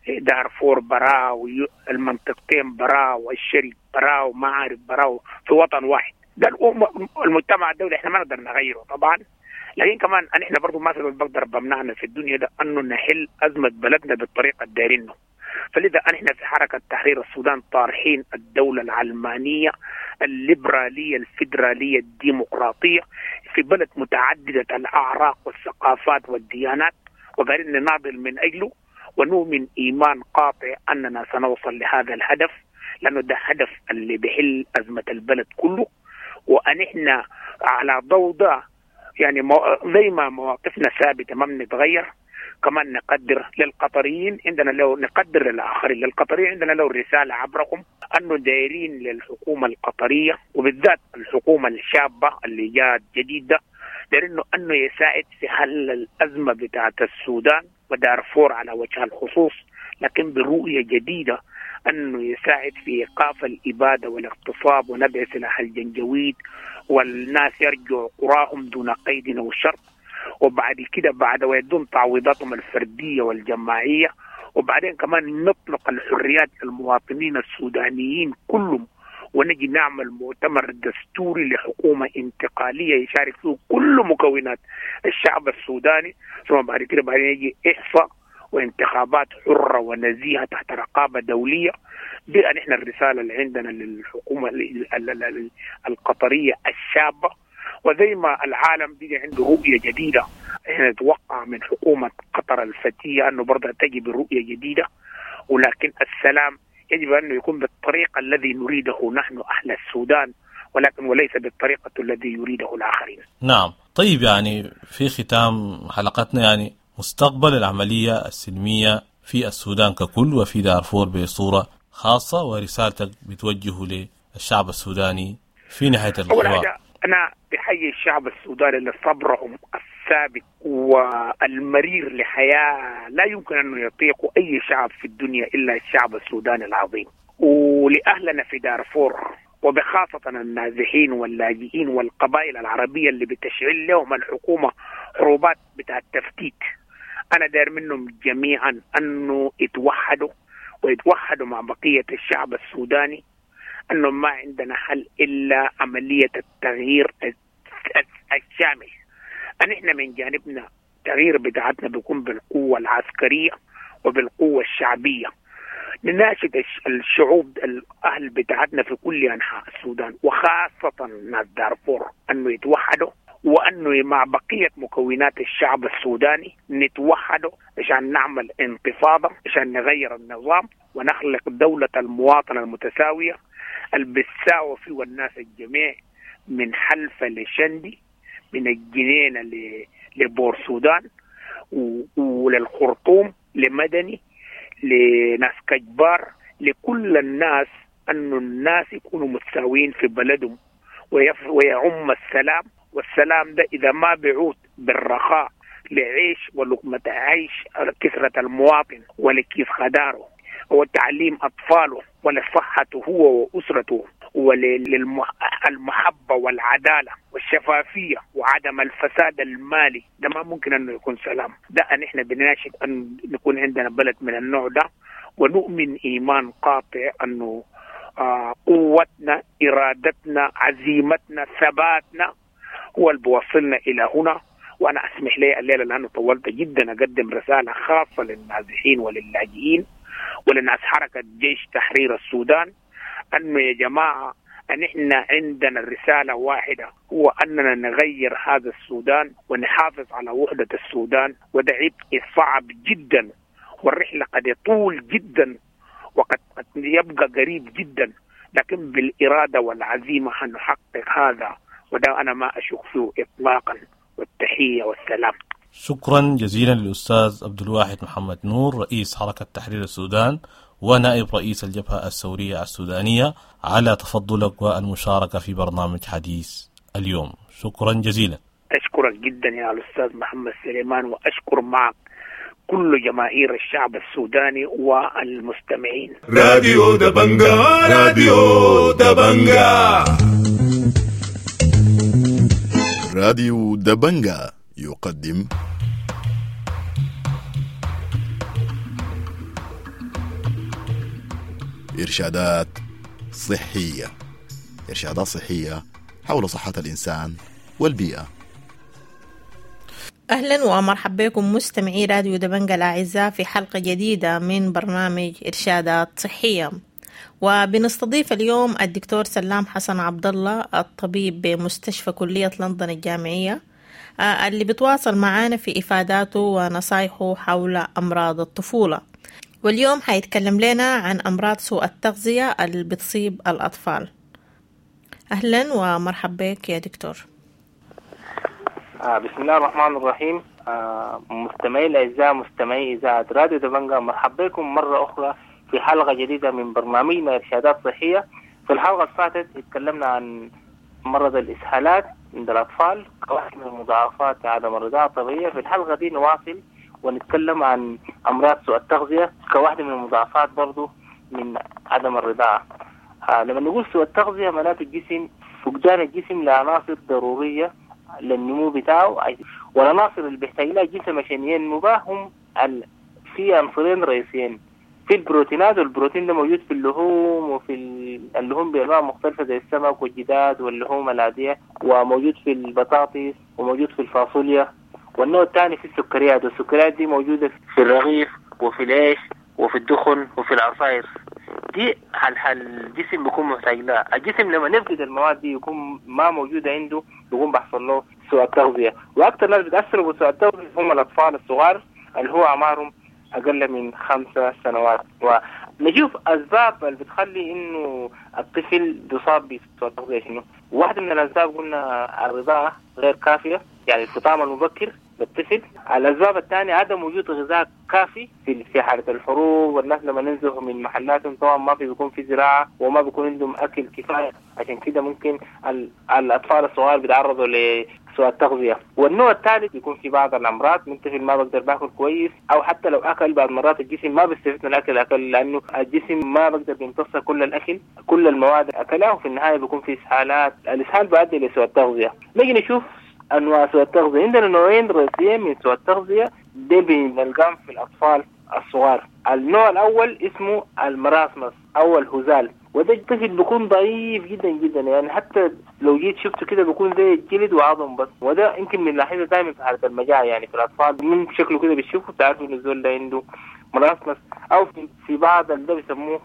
دارفور برا والمنطقتين برا والشرق برا وما عارف برا في وطن واحد. ده المجتمع الدولي احنا ما نقدر نغيره طبعا، لكن كمان احنا برضه ما في بقدر بمنعنا في الدنيا ده انه نحل ازمة بلدنا بالطريقة الدايرينه. فلذا احنا في حركة تحرير السودان طارحين الدولة العلمانية الليبرالية الفيدرالية الديمقراطية في بلد متعددة الاعراق والثقافات والديانات، وقاعدين نناضل من اجله، ونؤمن ايمان قاطع اننا سنوصل لهذا الهدف، لانه ده هدف اللي بيحل ازمة البلد كله. ونحن على ضوء ده يعني زي ما مواقفنا ثابتة ما بنتغير، كمان نقدر للقطريين عندنا، لو نقدر للاخرين، للقطريين عندنا لو رسالة عبركم انه دايرين للحكومة القطرية وبالذات الحكومة الشابة اللي جات جديدة، دايرين انه يساعد في حل الازمة بتاعت السودان ودارفور على وجه الخصوص، لكن برؤية جديدة انه يساعد في ايقاف الابادة والاغتصاب ونبع سلاح الجنجويد، والناس يرجعوا قراهم دون قيد او شرط، وبعد كده بعد ويدون تعويضاتهم الفردية والجماعيه، وبعدين كمان نطلق الحريات للمواطنين السودانيين كلهم، ونجي نعمل مؤتمر دستوري لحكومة انتقالية يشارك فيه كل مكونات الشعب السوداني، ثم بعد كده بعدين يجي احصاء وانتخابات حرة ونزيهة تحت رقابة دولية. دي نحن الرسالة اللي عندنا للحكومة القطرية الشابة. وزي ما العالم بقى عنده رؤية جديدة، احنا نتوقع من حكومة قطر الفتية أنه برضه تجي برؤية جديدة، ولكن السلام يجب أنه يكون بالطريقة الذي نريده نحن أهل السودان، ولكن وليس بالطريقة الذي يريده الآخرين. نعم. طيب يعني في ختام حلقتنا، يعني مستقبل العملية السلمية في السودان ككل وفي دارفور بصورة خاصة، ورسالتك بتوجهه للشعب السوداني في نهاية الحوار. أول حاجة أنا بحيي الشعب السوداني لصبرهم الثابت والمرير لحياة لا يمكن أن يطيق أي شعب في الدنيا إلا الشعب السوداني العظيم، ولأهلنا في دارفور وبخاصة النازحين واللاجئين والقبائل العربية اللي بتشعل لهم الحكومة حروبات بتاع التفتيت. أنا داير منهم جميعا أنه يتوحدوا ويتوحدوا مع بقية الشعب السوداني، أنه ما عندنا حل إلا عملية التغيير الشامل. نحن من جانبنا التغيير بتاعتنا بيكون بالقوة العسكرية وبالقوة الشعبية. نناشد الشعوب الأهل بتاعتنا في كل أنحاء السودان وخاصة ناس دارفور أنه يتوحدوا، وأنه مع بقية مكونات الشعب السوداني نتوحدوا عشان نعمل انتفاضة، عشان نغير النظام ونخلق دولة المواطنة المتساوية اللي بتساوي فيه الناس الجميع، من حلفة لشندي، من الجنينة لبور سودان وللخرطوم، لمدني، لناس كجبار، لكل الناس، أنه الناس يكونوا متساويين في بلدهم ويعم السلام. والسلام ده إذا ما بعود بالرخاء لعيش ولقمة عيش كثرة المواطن ولكيف خداره وتعليم أطفاله ولصحته هو وأسرته وللمحبة والعدالة والشفافية. الشفافية وعدم الفساد المالي ده ما ممكن أنه يكون سلام. ده أن إحنا بنناشد أن نكون عندنا بلد من النوع ده، ونؤمن إيمان قاطع أنه قوتنا، إرادتنا، عزيمتنا، ثباتنا هو اللي بوصلنا إلى هنا. وأنا أسمح لي الليلة لأنه طولت جدا أقدم رسالة خاصة للنازحين وللاجئين ولناس حركة جيش تحرير السودان، أنه يا جماعة أن إحنا عندنا الرسالة واحدة، هو أننا نغير هذا السودان ونحافظ على وحدة السودان. وده عبء صعب جدا، والرحلة قد يطول جدا وقد يبقى قريب جدا، لكن بالإرادة والعزيمة هنحقق هذا، وده أنا ما أشك فيه إطلاقا. والتحية والسلام. شكرا جزيلا للأستاذ عبد الواحد محمد نور، رئيس حركة تحرير السودان ونائب رئيس الجبهة الثورية السودانية، على تفضلك والمشاركة في برنامج حديث اليوم. شكرا جزيلا. أشكرك جدا يا الأستاذ محمد سليمان، وأشكر معك كل جماهير الشعب السوداني والمستمعين. راديو دبنجا، راديو دبنجا، راديو دبنجا يقدم إرشادات صحية. إرشادات صحية حول صحة الإنسان والبيئة. أهلا ومرحبا بكم مستمعي راديو دبنجا الأعزاء في حلقة جديدة من برنامج إرشادات صحية، وبنستضيف اليوم الدكتور سلام حسن عبد الله، الطبيب بمستشفى كلية لندن الجامعية، اللي بتواصل معانا في إفاداته ونصايحه حول أمراض الطفولة. واليوم حيتكلم لنا عن أمراض سوء التغذية اللي بتصيب الأطفال. أهلا ومرحبا بك يا دكتور. بسم الله الرحمن الرحيم. مستمعي الأعزاء، مستمعي إذاعة راديو دبنجا، مرحبا بكم مرة أخرى في حلقة جديدة من برنامجنا إرشادات صحية. في الحلقة اللي فاتت اتكلمنا عن مرض الإسهالات عند الأطفال كواحد من مضاعفات عدم الرضاعة الطبيعية. في الحلقة دي نواصل ونتكلم عن أمراض سوء التغذية كواحدة من المضاعفات برضو من عدم الرضاعة. لما نقول سوء التغذية معناته الجسم، فقدان الجسم لعناصر ضرورية للنمو بتاعه، والعناصر اللي بيحتاج لها الجسم عشان ينمو بها هم في عنصرين رئيسيين، في البروتينات، والبروتين ده موجود في اللحوم وفي اللحوم بأنواع مختلفة زي السمك والجداد واللحوم العادية، وموجود في البطاطس وموجود في الفاصوليا. والنوع الثاني في السكريات، والسكريات دي موجودة في الرغيف وفي العيش وفي الدخن وفي العصائر. دي الجسم بيكون محتاج لها. الجسم لما نفقد المواد دي يكون ما موجودة عنده، بيكون بيحصل له سوء التغذية. وأكثر ناس بيتأثروا بسوء التغذية هم الأطفال الصغار اللي هو أعمارهم أقل من 5 سنوات. ونشوف أسباب اللي بتخلي إنه الطفل بيصاب بسوء التغذية شنو. واحدة من الأسباب قلنا الرضاعة غير كافية، يعني الفطام المبكر للطفل. الأسباب الثانية عدم وجود غذاء كافي في حالة الحروب، والناس لما ننزلوا من محلاتهم طبعا ما في بيكون في زراعة وما بيكون عندهم أكل كفاية، عشان كده ممكن الأطفال الصغار بيتعرضوا لسوء التغذية. والنوع الثالث بيكون في بعض الأمراض، من طفل ما بقدر باكل كويس، أو حتى لو أكل بعض مرات الجسم ما بيستفيد من الأكل لأنه الجسم ما بقدر بيمتص كل الأكل، كل المواد أكلها، وفي النهاية بيكون في إسهالات. الإسهال بيؤدي لسوء التغذية. نيجي نشوف أنواع سوء التغذية. عندنا نوعين رئيسيين من سوء التغذية دي بنلقاهم في الأطفال الصغار. النوع الأول اسمه المراسمس أو الهزال، وده الطفل بيكون ضعيف جدا جدا، يعني حتى لو جيت شفته كده بيكون زي الجلد وعظم بس. وده يمكن بنلاحظه دائما في حالة المجاعة، يعني في الأطفال من شكله كده بتشوفه بتعرفوا إنه الزول ده عنده مراسمس، أو في بعض ده بيسموه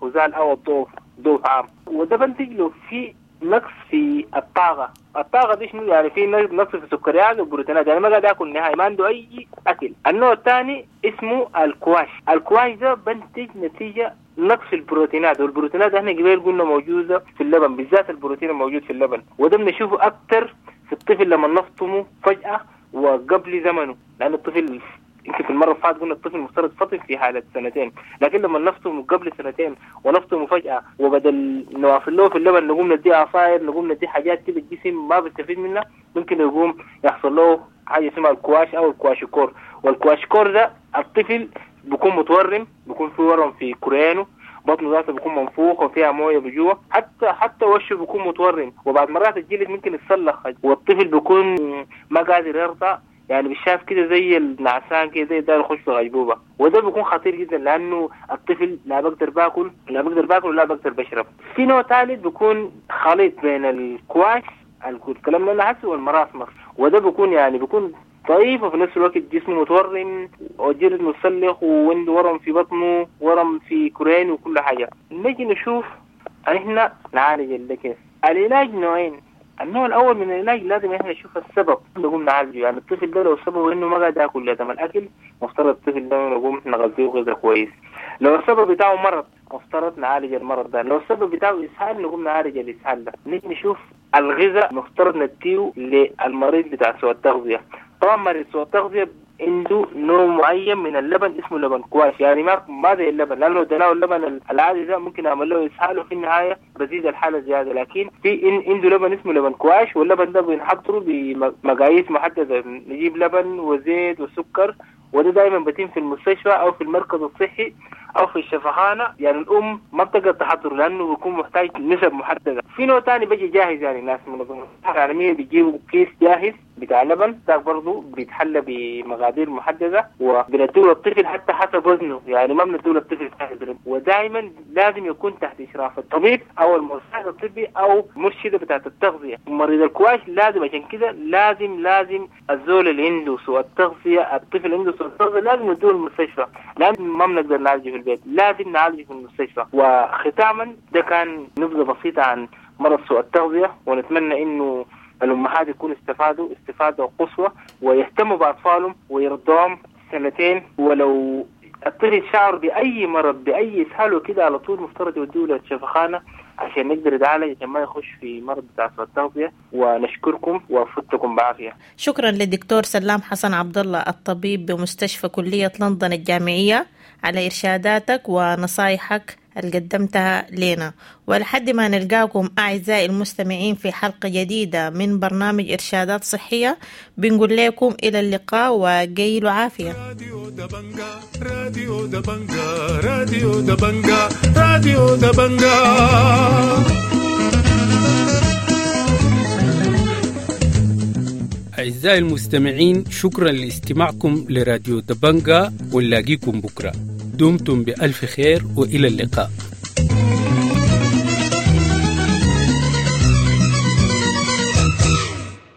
هزال أو الضعف، ضعف عام. وده بنتج له في نقص في الطاقة. الطاقة دي شنو؟ يعني في نقص في السكريات والبروتينات، يعني ما قاعد ياكل نهائي، ما عنده أي أكل. النوع الثاني اسمه الكواش. الكواش ده بنتج نتيجة نقص البروتينات، والبروتينات احنا قبل قلنا موجودة في اللبن، بالذات البروتين الموجود في اللبن، وده بنشوفه أكتر في الطفل لما نفطمه فجأة وقبل زمنه، لأن الطفل يمكن في المرة اللي فاتت قلنا الطفل المفترض فطم في حالة 2 سنين، لكن لما نفطمه قبل 2 سنين ونفطمه فجأة، وبدل نوافل له في اللبن نقوم نديه عصاير، نقوم نديه حاجات كده الجسم ما بيستفيد منها، ممكن يقوم يحصل له حاجة اسمها الكواش أو الكواشيكور. والكواشيكور ده الطفل بيكون متورم، بيكون في ورم في كريانه، بطنه ذاته بيكون منفوخ وفيها مويه بجوا، حتى وشه بيكون متورم، وبعد مرات الجلد ممكن يتسلخ، والطفل بيكون ما قادر يرضع، يعني بيشاف كده زي النعسان كده زي ده يخش في غيبوبة، وده بيكون خطير جدا لانه الطفل لا بقدر باكل لا بقدر باكل ولا بقدر بشرب. في نوع ثالث بيكون خليط بين الكواش الكلام اللي انا هسه وال marasmus، وده بيكون يعني بيكون ضعيف وفي نفس الوقت جسمه متورم وجلد متسلخ وعنده ورم في بطنه ورم في كرعين وكل حاجة. نجي نشوف احنا نعالج ده كيف. العلاج نوعين، النوع الاول من العلاج لازم احنا نشوف السبب نقوم نعالجه، يعني الطفل ده لو سببه انه ما قاعد ياكل لازم الاكل، مفترض الطفل ده نقوم نغذيه غذاء كويس. لو السبب بتاعه مرض مفترض نعالج المرض ده، لو السبب بتاعه اسهال نقوم نعالج الاسهال ده. نيجي نشوف الغذاء مفترض نديه للمريض بتاع سوء التغذية. طبعا مريض سوء التغذية عنده نوع معين من اللبن اسمه لبن كواش، يعني ما زي اللبن، لانه اديناه اللبن العادي ده ممكن اعمل له اسهال وفي النهاية بزيد الحالة زيادة، لكن في عنده لبن اسمه لبن كواش، واللبن ده بنحضره بمقاييس محددة، نجيب لبن وزيت وسكر، وده دائما بتم في المستشفى او في المركز الصحي او في الشفخانه، يعني الام ما بتقدر تحضره لانه بيكون محتاج نسب محددة. في نوع ثاني بيجي جاهز، يعني ناس منظمة الصحة العالمية بيجيبوا كيس جاهز بتاع لبن، ده برضه بيتحلى بمقادير محددة وبنديه للطفل حتى حسب وزنه، يعني ما بنديه للطفل جاهز، ودائما لازم يكون تحت اشراف الطبيب او المساعد الطبي او مرشده بتاعه التغذية. مريض الكواش لازم، عشان كده لازم الزول اللي عنده سوء التغذية، الطفل اللي عنده سوء التغذية لازم نديه المستشفى، لازم ما بنقدر نعالجه في البيت، لازم نعالجه في المستشفى. وختاما ده كان نبذه بسيطة عن مرض سوء التغذية، ونتمنى انه الأمهات يكونوا استفادوا استفادة قصوى ويهتموا بأطفالهم ويرضوهم سنتين، ولو الطفل شعر بأي مرض بأي إسهال وكده على طول مفترض يودوه للشفخانة عشان نقدر نتعالج، عشان ما يخش في مرض بتاع سوء التغذية. ونشكركم وفتكم بعافية. شكرا للدكتور سلام حسن عبد الله الطبيب بمستشفى كلية لندن الجامعية على إرشاداتك ونصايحك اللي قدمتها لنا، ولحد ما نلقاكم أعزائي المستمعين في حلقة جديدة من برنامج إرشادات صحية، بنقول لكم إلى اللقاء وقيلوا عافية. راديو دبنجا، راديو دبنجا، راديو دبنجا، راديو دبنجا. أعزائي المستمعين، شكرا لاستماعكم لراديو دبنجا، ونلاقيكم بكرة. دمتم بألف خير وإلى اللقاء.